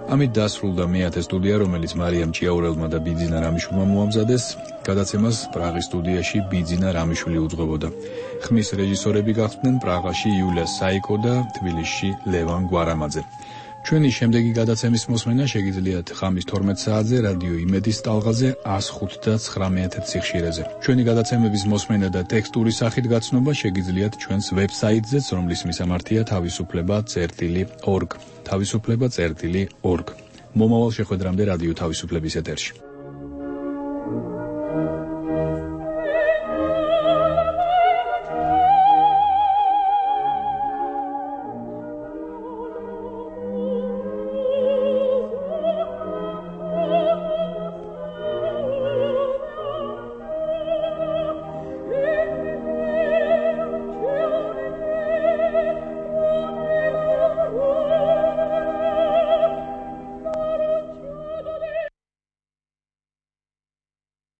ამით დასრულდა მეათე სტუდია, რომელიც მარიამ ჭიაურელმა და ბიძინა რამიშვილმა მოამზადეს. გადაცემას პრაღის სტუდიაში ბიძინა რამიშვილი უძღვებოდა. ხმის რეჟისორები გახდნენ პრაღაში იულია საიკო და თბილისში ლევან გვარამაძე. ჩვენი შემდეგი გადაცემის მოსმენა შეგიძლიათ ხამის 12 საათზე რადიო იმედის ტალღაზე 105.9 სიხშირეზე. ჩვენი გადაცემების მოსმენა და ტექსტური სახით გაცნობა შეგიძლიათ ჩვენს ვებსაიტზეც, რომლის მისამართია თავისუფლება.org. თავისუფლება.org. მომავალ შეხვედრამდე რადიო თავისუფლების ეთერში.